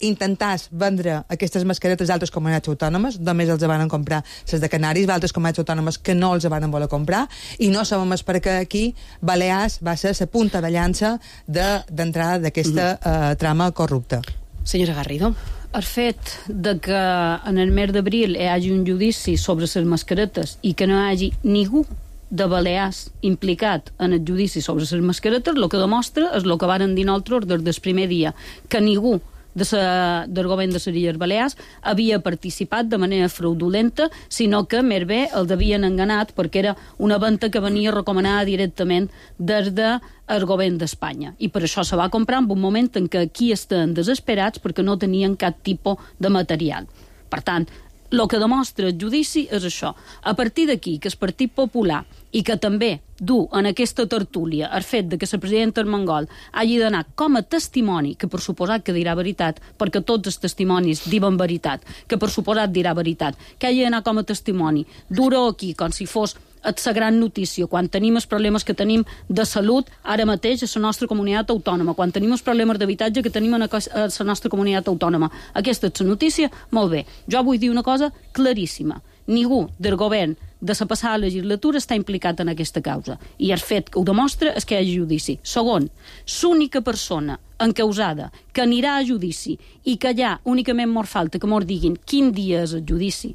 intentàs vendre aquestes mascaretes d'altres comunitats autònomes. Només els van comprar les de Canaris, d'altres comunitats autònomes que no els van voler comprar, i no sabem per què aquí Balears va ser la punta de llança d'entrada d'aquesta trama corrupta. Senyora Garrido. El fet de que en el mes d'abril hi hagi un judici sobre les mascaretes i que no hi hagi ningú de Balears implicat en el judici sobre les mascaretes, el que demostra és el que varen dir nosaltres des del primer dia, que ningú del govern de les Illes Balears havia participat de manera fraudulenta, sinó que més bé els havien enganat perquè era una venda que venia recomanada directament des del govern d'Espanya. I per això se va comprar en un moment en què aquí estaven desesperats perquè no tenien cap tipus de material. Per tant, el que demostra el judici és això. A partir d'aquí, que el Partit Popular, i que també du en aquesta tertúlia el fet de que la presidenta Armengol hagi d'anar com a testimoni, que per suposat que dirà veritat, perquè tots els testimonis diuen veritat, que per suposat dirà veritat, que hagi d'anar com a testimoni, dur-ho aquí com si fos la gran notícia, quan tenim els problemes que tenim de salut ara mateix a la nostra comunitat autònoma, quan tenim els problemes d'habitatge que tenim a la nostra comunitat autònoma. Aquesta és la notícia, molt bé. Jo vull dir una cosa claríssima. Ningú del govern de la passada legislatura està implicat en aquesta causa. I el fet que ho demostra és que hi ha judici. Segon, l'única persona encausada que anirà a judici i que allà únicament mos falta que mos diguin quin dia és el judici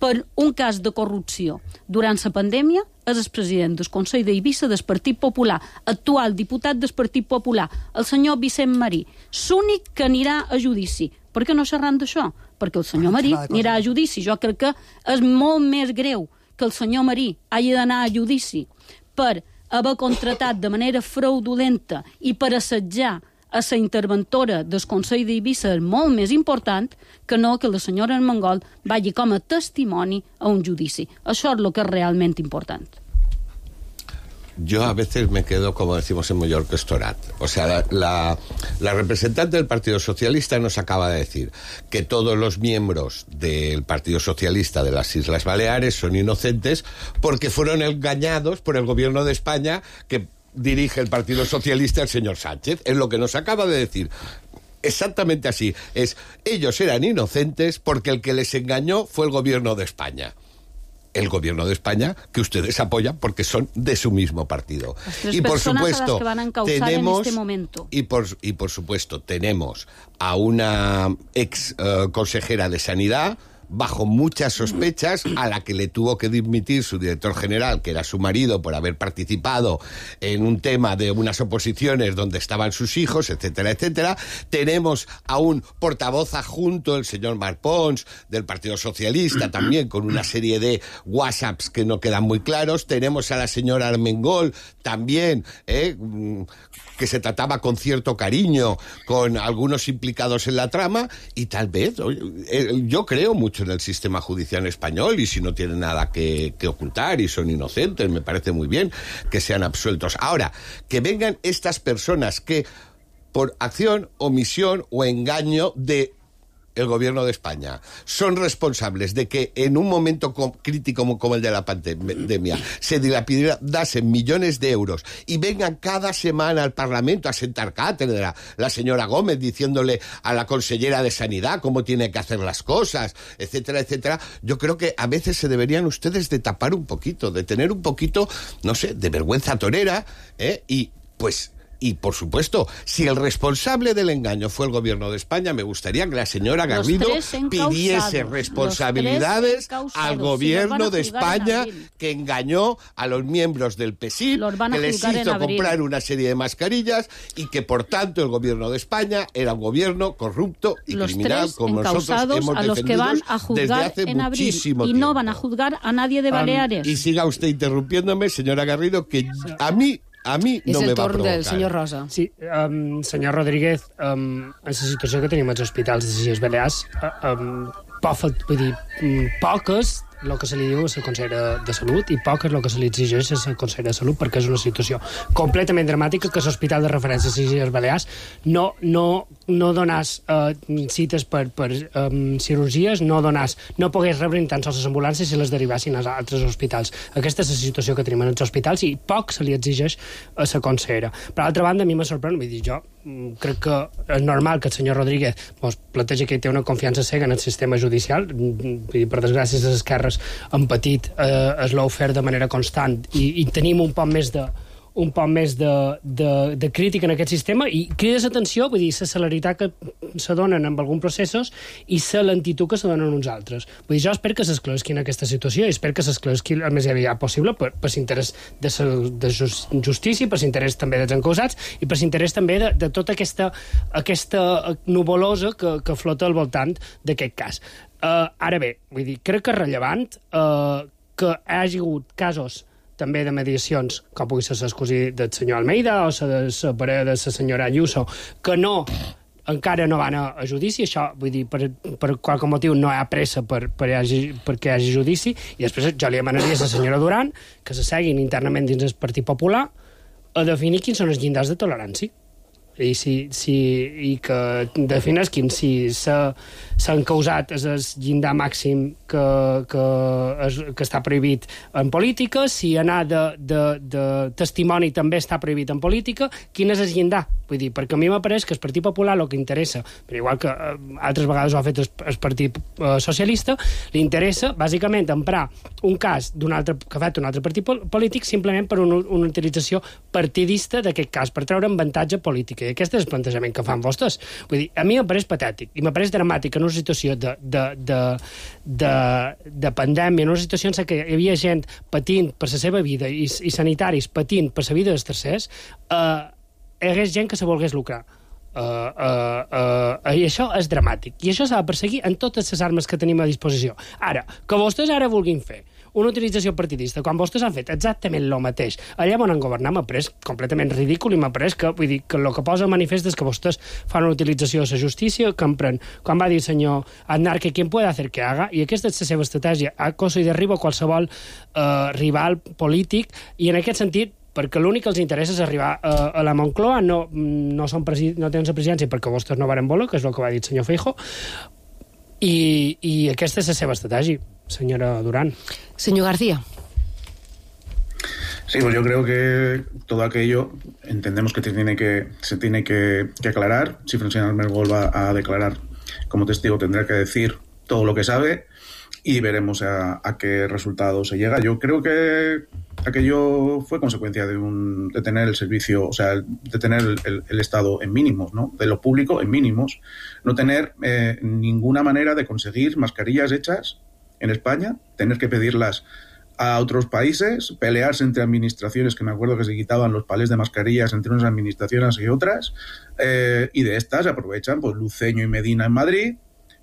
per un cas de corrupció durant la pandèmia és el president del Consell d'Eivissa del Partit Popular, actual diputat del Partit Popular, el senyor Vicent Marí, l'únic que anirà a judici. Per què no xerran d'això? Perquè el senyor Marí anirà a judici. Jo crec que és molt més greu que el senyor Marí hagi d'anar a judici per haver contratat de manera fraudulenta i per assetjar a la interventora del Consell d'Eivissa és molt més important que no que la senyora Armengol vagi com a testimoni a un judici. Això és el que és realment important. yo a veces me quedo, como decimos en Mallorca, estorat. O sea, la representante del Partido Socialista nos acaba de decir que todos los miembros del Partido Socialista de las Islas Baleares son inocentes porque fueron engañados por el gobierno de España que dirige el Partido Socialista el señor Sánchez. Es lo que nos acaba de decir. Exactamente así. Ellos eran inocentes porque el que les engañó fue el gobierno de España. El gobierno de España que ustedes apoyan porque son de su mismo partido. Y por supuesto, a las que van a encausar en este momento. Y por supuesto, tenemos a una ex consejera de Sanidad bajo muchas sospechas, a la que le tuvo que dimitir su director general, que era su marido, por haber participado en un tema de unas oposiciones donde estaban sus hijos, etcétera, etcétera. Tenemos a un portavoz adjunto, el señor Marc Pons, del Partido Socialista, también con una serie de WhatsApps que no quedan muy claros. Tenemos a la señora Armengol, también, que se trataba con cierto cariño con algunos implicados en la trama, y tal vez, yo creo mucho en el sistema judicial español, y si no tienen nada que ocultar y son inocentes, me parece muy bien que sean absueltos. Ahora, que vengan estas personas que por acción, omisión o engaño de el gobierno de España son responsables de que en un momento crítico como el de la pandemia se dilapidasen millones de euros y vengan cada semana al Parlamento a sentar cátedra la señora Gómez diciéndole a la consellera de Sanidad cómo tiene que hacer las cosas, etcétera, etcétera, yo creo que a veces se deberían ustedes de tapar un poquito, de tener un poquito, no sé, de vergüenza torera, y por supuesto, si el responsable del engaño fue el gobierno de España, me gustaría que la señora Garrido pidiese responsabilidades al gobierno de España que engañó a los miembros del PSIC, que les hizo comprar una serie de mascarillas y que por tanto el gobierno de España era un gobierno corrupto y criminal, como nosotros hemos defendido desde hace muchísimo tiempo. Y no van a juzgar a nadie de Baleares. Y siga usted interrumpiéndome, señora Garrido, que a mí no me va a provocar. És el torn del senyor Rosa. Sí, senyor Rodríguez, en la situació que tenim als hospitals de les Illes Balears, poques el que se li diu a la consellera de Salut i poc és el que se li exigeix a la consellera de Salut, perquè és una situació completament dramàtica que l'Hospital de Referència de les Illes Balears no donàs cites per cirurgies, no pogués rebre ni tan sols les ambulàncies si les derivassin als altres hospitals. Aquesta és la situació que tenim en els hospitals i poc se li exigeix a la consellera. Per altra banda, a mi me sorprèn, vull dir, jo crec que és normal que el senyor Rodríguez planteja que hi té una confiança cega en el sistema judicial. Per desgràcia, les esquerres han patit l'ofer de manera constant i tenim un poc més de crítica en aquest sistema i crides atenció, vull dir, la celeritat que se donen en alguns processos i la lentitud que se donen uns altres. Vull dir, jo espero que s'esclaresqui en aquesta situació i espero que s'esclaresqui el més aviat possible per l'interès de justícia, per l'interès també dels encausats i per l'interès també de tota aquesta nuvolosa que flota al voltant d'aquest cas. Ara bé, vull dir, crec que és rellevant que hi hagi hagut casos també de mediacions, com pugui ser l'escosí del senyor Almeida o la parella de la senyora Ayuso, que encara no van a judici. Això, vull dir, per qualque motiu no hi ha pressa perquè hi hagi judici, i després jo li demanaria a la senyora Duran que se seguin internament dins el Partit Popular a definir quins són els llindars de tolerància i que definesquin si s'ha encausat el llindar màxim que està prohibit en política, si anar de testimoni també està prohibit en política, quin és el llindar? Vull dir, perquè a mi m'apareix que el Partit Popular el que interessa, però igual que altres vegades ho ha fet el Partit Socialista, li interessa bàsicament emprar un cas que ha fet un altre partit polític simplement per una utilització partidista d'aquest cas, per treure avantatge polític. I aquest és el plantejament que fan vostès. Vull dir, a mi m'apareix patètic i m'apareix dramàtic en una situació de pandèmia, en una situació en què hi havia gent patint per la seva vida i sanitaris patint per la vida dels tercers, hi hagués gent que se volgués lucrar. I això és dramàtic. I això s'ha de perseguir en totes les armes que tenim a disposició. Ara, que vostès ara vulguin fer una utilització partidista, quan vostès han fet exactament el mateix allà on han governat, m'ha pareix completament ridícul i m'ha pareix que, vull dir, que el que posa manifest és que vostès fan una utilització de la justícia que empren, quan va dir el senyor Aznar que quien puede hacer que haga, i aquesta és la seva estratègia, acoso i derribo qualsevol rival polític, i en aquest sentit perquè l'únic que els interessa és arribar a la Moncloa, no tenen la presidència perquè vostès no varen voler, que és el que va dir el senyor Feijóo, i aquesta és la seva estratègia, senyora Durán. Señor García. Sí, pues yo creo que todo aquello entendemos que se tiene que aclarar. Si Francina Armengol va a declarar como testigo, tendrá que decir todo lo que sabe y veremos a qué resultado se llega. Yo creo que aquello fue consecuencia de tener el servicio, o sea, de tener el Estado en mínimos, ¿no? De lo público en mínimos. No tener ninguna manera de conseguir mascarillas hechas en España, tener que pedirlas a otros países, pelearse entre administraciones, que me acuerdo que se quitaban los palés de mascarillas entre unas administraciones y otras, y de estas aprovechan pues Luceño y Medina en Madrid,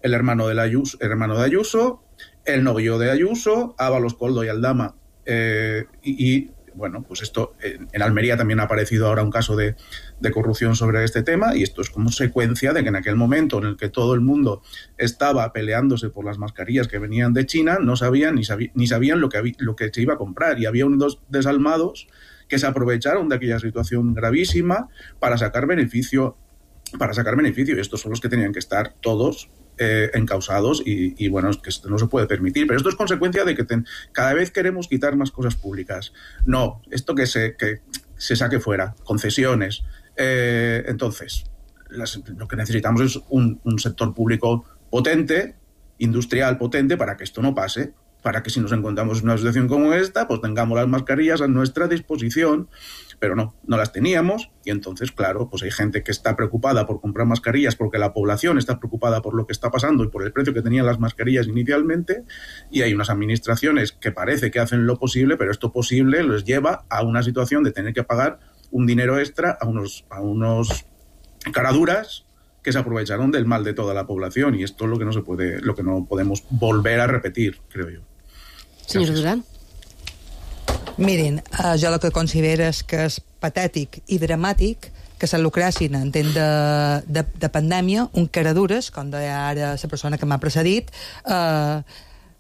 el hermano de Ayuso, el novio de Ayuso, Ábalos, Koldo y Aldama, y bueno, pues esto, en Almería también ha aparecido ahora un caso de corrupción sobre este tema, y esto es consecuencia de que en aquel momento en el que todo el mundo estaba peleándose por las mascarillas que venían de China, no sabían ni sabían lo que se iba a comprar, y había unos desalmados que se aprovecharon de aquella situación gravísima para sacar beneficio, y estos son los que tenían que estar todos encausados, y bueno, es que esto no se puede permitir, pero esto es consecuencia de que cada vez queremos quitar más cosas públicas. No, esto que se saque fuera, concesiones. Entonces, lo que necesitamos es un sector público potente, industrial potente, para que esto no pase, para que si nos encontramos en una situación como esta, pues tengamos las mascarillas a nuestra disposición, pero no las teníamos, y entonces, claro, pues hay gente que está preocupada por comprar mascarillas porque la población está preocupada por lo que está pasando y por el precio que tenían las mascarillas inicialmente, y hay unas administraciones que parece que hacen lo posible, pero esto posible les lleva a una situación de tener que pagar un dinero extra a unos caraduras que se aprovecharon del mal de toda la población, y esto es lo que no podemos volver a repetir, creo yo. Senyora Duran. Mirin, jo el que considero és que és patètic i dramàtic que se lucressin en temps de pandèmia un caradures, com deia ara la persona que m'ha precedit,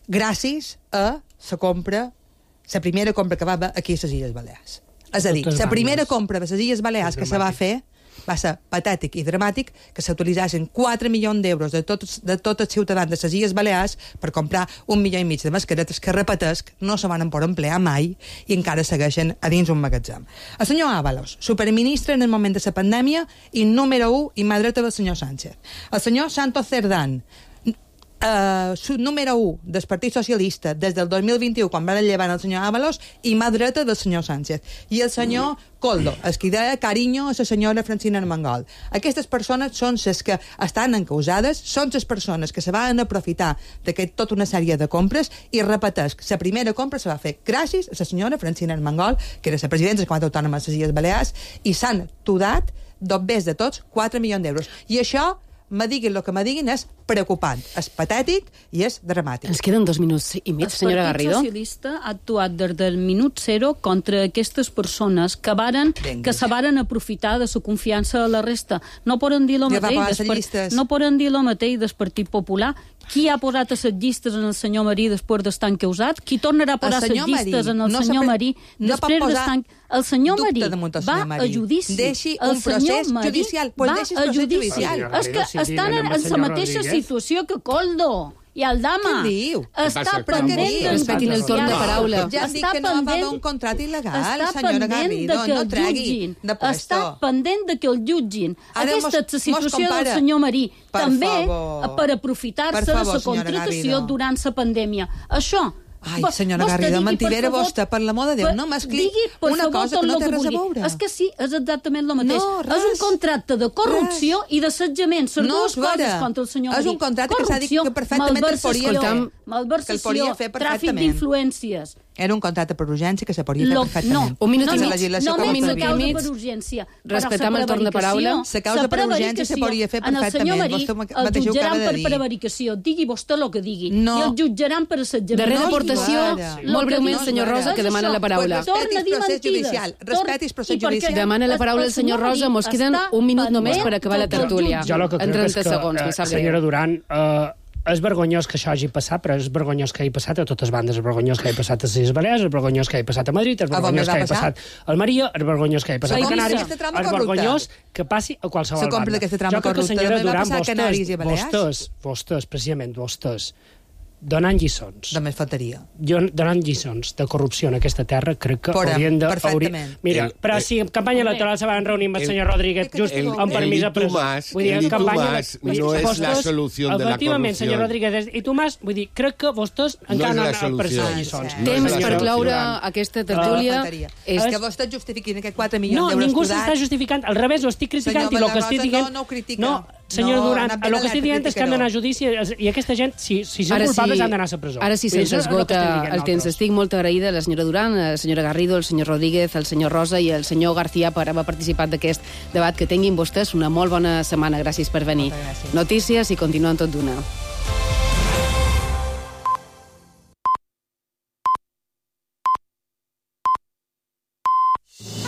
gràcies a la primera compra que va haver aquí a les Illes Balears. És a dir, la primera compra de les Illes Balears que se va fer va ser patètic i dramàtic que s'utilitzessin 4 milions d'euros de tots els ciutadans de les Illes Balears per comprar 1,5 milió de mascaretes que, repetesc, no se van poder emplear mai i encara segueixen a dins un magatzem. El senyor Ábalos, superministre en el moment de la pandèmia i número 1 i mà dreta del senyor Sánchez. El senyor Santos Cerdán, número 1 del Partit Socialista des del 2021, quan van llevar el senyor Ábalos, i mà dreta del senyor Sánchez. I el senyor Koldo, el que deia carinyo a la senyora Francina Armengol. Aquestes persones són les que estan encausades, són les persones que se van aprofitar d'aquesta tota una sèrie de compres, i repetesc, la primera compra se va fer gràcies a la senyora Francina Armengol, que era la presidenta de la Comunitat Autònoma de les Illes Balears, i s'han tudat, més de tots, 4 milions d'euros. I això, me diguin el que me diguin, és preocupant, és patètic i és dramàtic. Ens queden 2 minuts i mig, senyora Garrido. El Partit Socialista ha actuat des del minut 0 contra aquestes persones que se varen aprofitar de la confiança de la resta. No poden dir el mateix del Partit Popular. Qui ha posat a les llistes en el senyor Marí després d'estar encausat? Qui tornarà a posar les llistes en el senyor Marí després d'estar... El senyor Marí va a judici. Deixi un procés judicial. Va a judici. És que estan en la mateixa situació que Koldo i Aldama. Què diu? Està pendent de... Respetin el torn de paraula. Ja dic que no va haver un contracte il·legal, senyora Garrido. No tregui de puesto. Està pendent de que el jutgin. Aquesta és la situació del senyor Marí. També per aprofitar-se de la contratació durant la pandèmia. Això... Ai, senyora Garrido, mentidera vostra, per l'amor de Déu, no m'expliqui una cosa que no té res a veure. És que sí, és exactament el mateix. És un contracte de corrupció i d'assetjament. Són dues coses contra el senyor Marí. És un contracte que s'ha dit que perfectament el podria fer. Malversació, tràfic d'influències. Era un contracte per urgència que se podria fer perfectament. Un minut i mig. Només la causa per urgència. Respectam el torn de paraula. La causa per urgència se podria fer perfectament. Vostè mateix ho acaba de dir. El jutjaran per prevaricació. Digui vostè el que digui. I el jutjaran per assetjament. Darrera aportació, molt breument, senyor Rosa, que demana la paraula. Respetis procés judicial. Demana la paraula el senyor Rosa. Mos queden un minut només per acabar la tertúlia. Jo el que crec és que, senyora Duran, és vergonyós que això hagi passat, però és vergonyós que hagi passat a totes bandes. És vergonyós que hagi passat a les Illes Balears, és vergonyós que hagi passat a Madrid, és vergonyós que hagi passat a Almeria, és vergonyós que hagi passat a Canàries, és vergonyós que passi a qualsevol banda. Jo crec que, senyora Duran, vostès, precisament vostès, donant lliçons. Només faltaria. Donant lliçons de corrupció en aquesta terra, crec que haurien de... Perfectament. Mira, però si en campanya electoral se van reunir amb el senyor Rodríguez just amb permís a presó. El Tomàs no és la solució de la corrupció. Efectivament, senyor Rodríguez i Tomàs, vull dir, crec que vostès encara no han prestat lliçons. Temps per cloure aquesta tertúlia. És que vostès justifiquin aquests 4 milions d'euros No, ningú s'està justificant. Al revés, ho estic criticant i el que estic dient... No, senyor Duran, el que estic dient és que han d'anar a judici i aquesta gent, si són culpables, han d'anar a la presó. Ara sí se'ns esgota el temps. Estic molt agraïda a la senyora Duran, a la senyora Garrido, al senyor Rodríguez, al senyor Rosa i al senyor García per haver participat d'aquest debat. Que tinguin vostès una molt bona setmana. Gràcies per venir. Notícies i continuen tot d'una.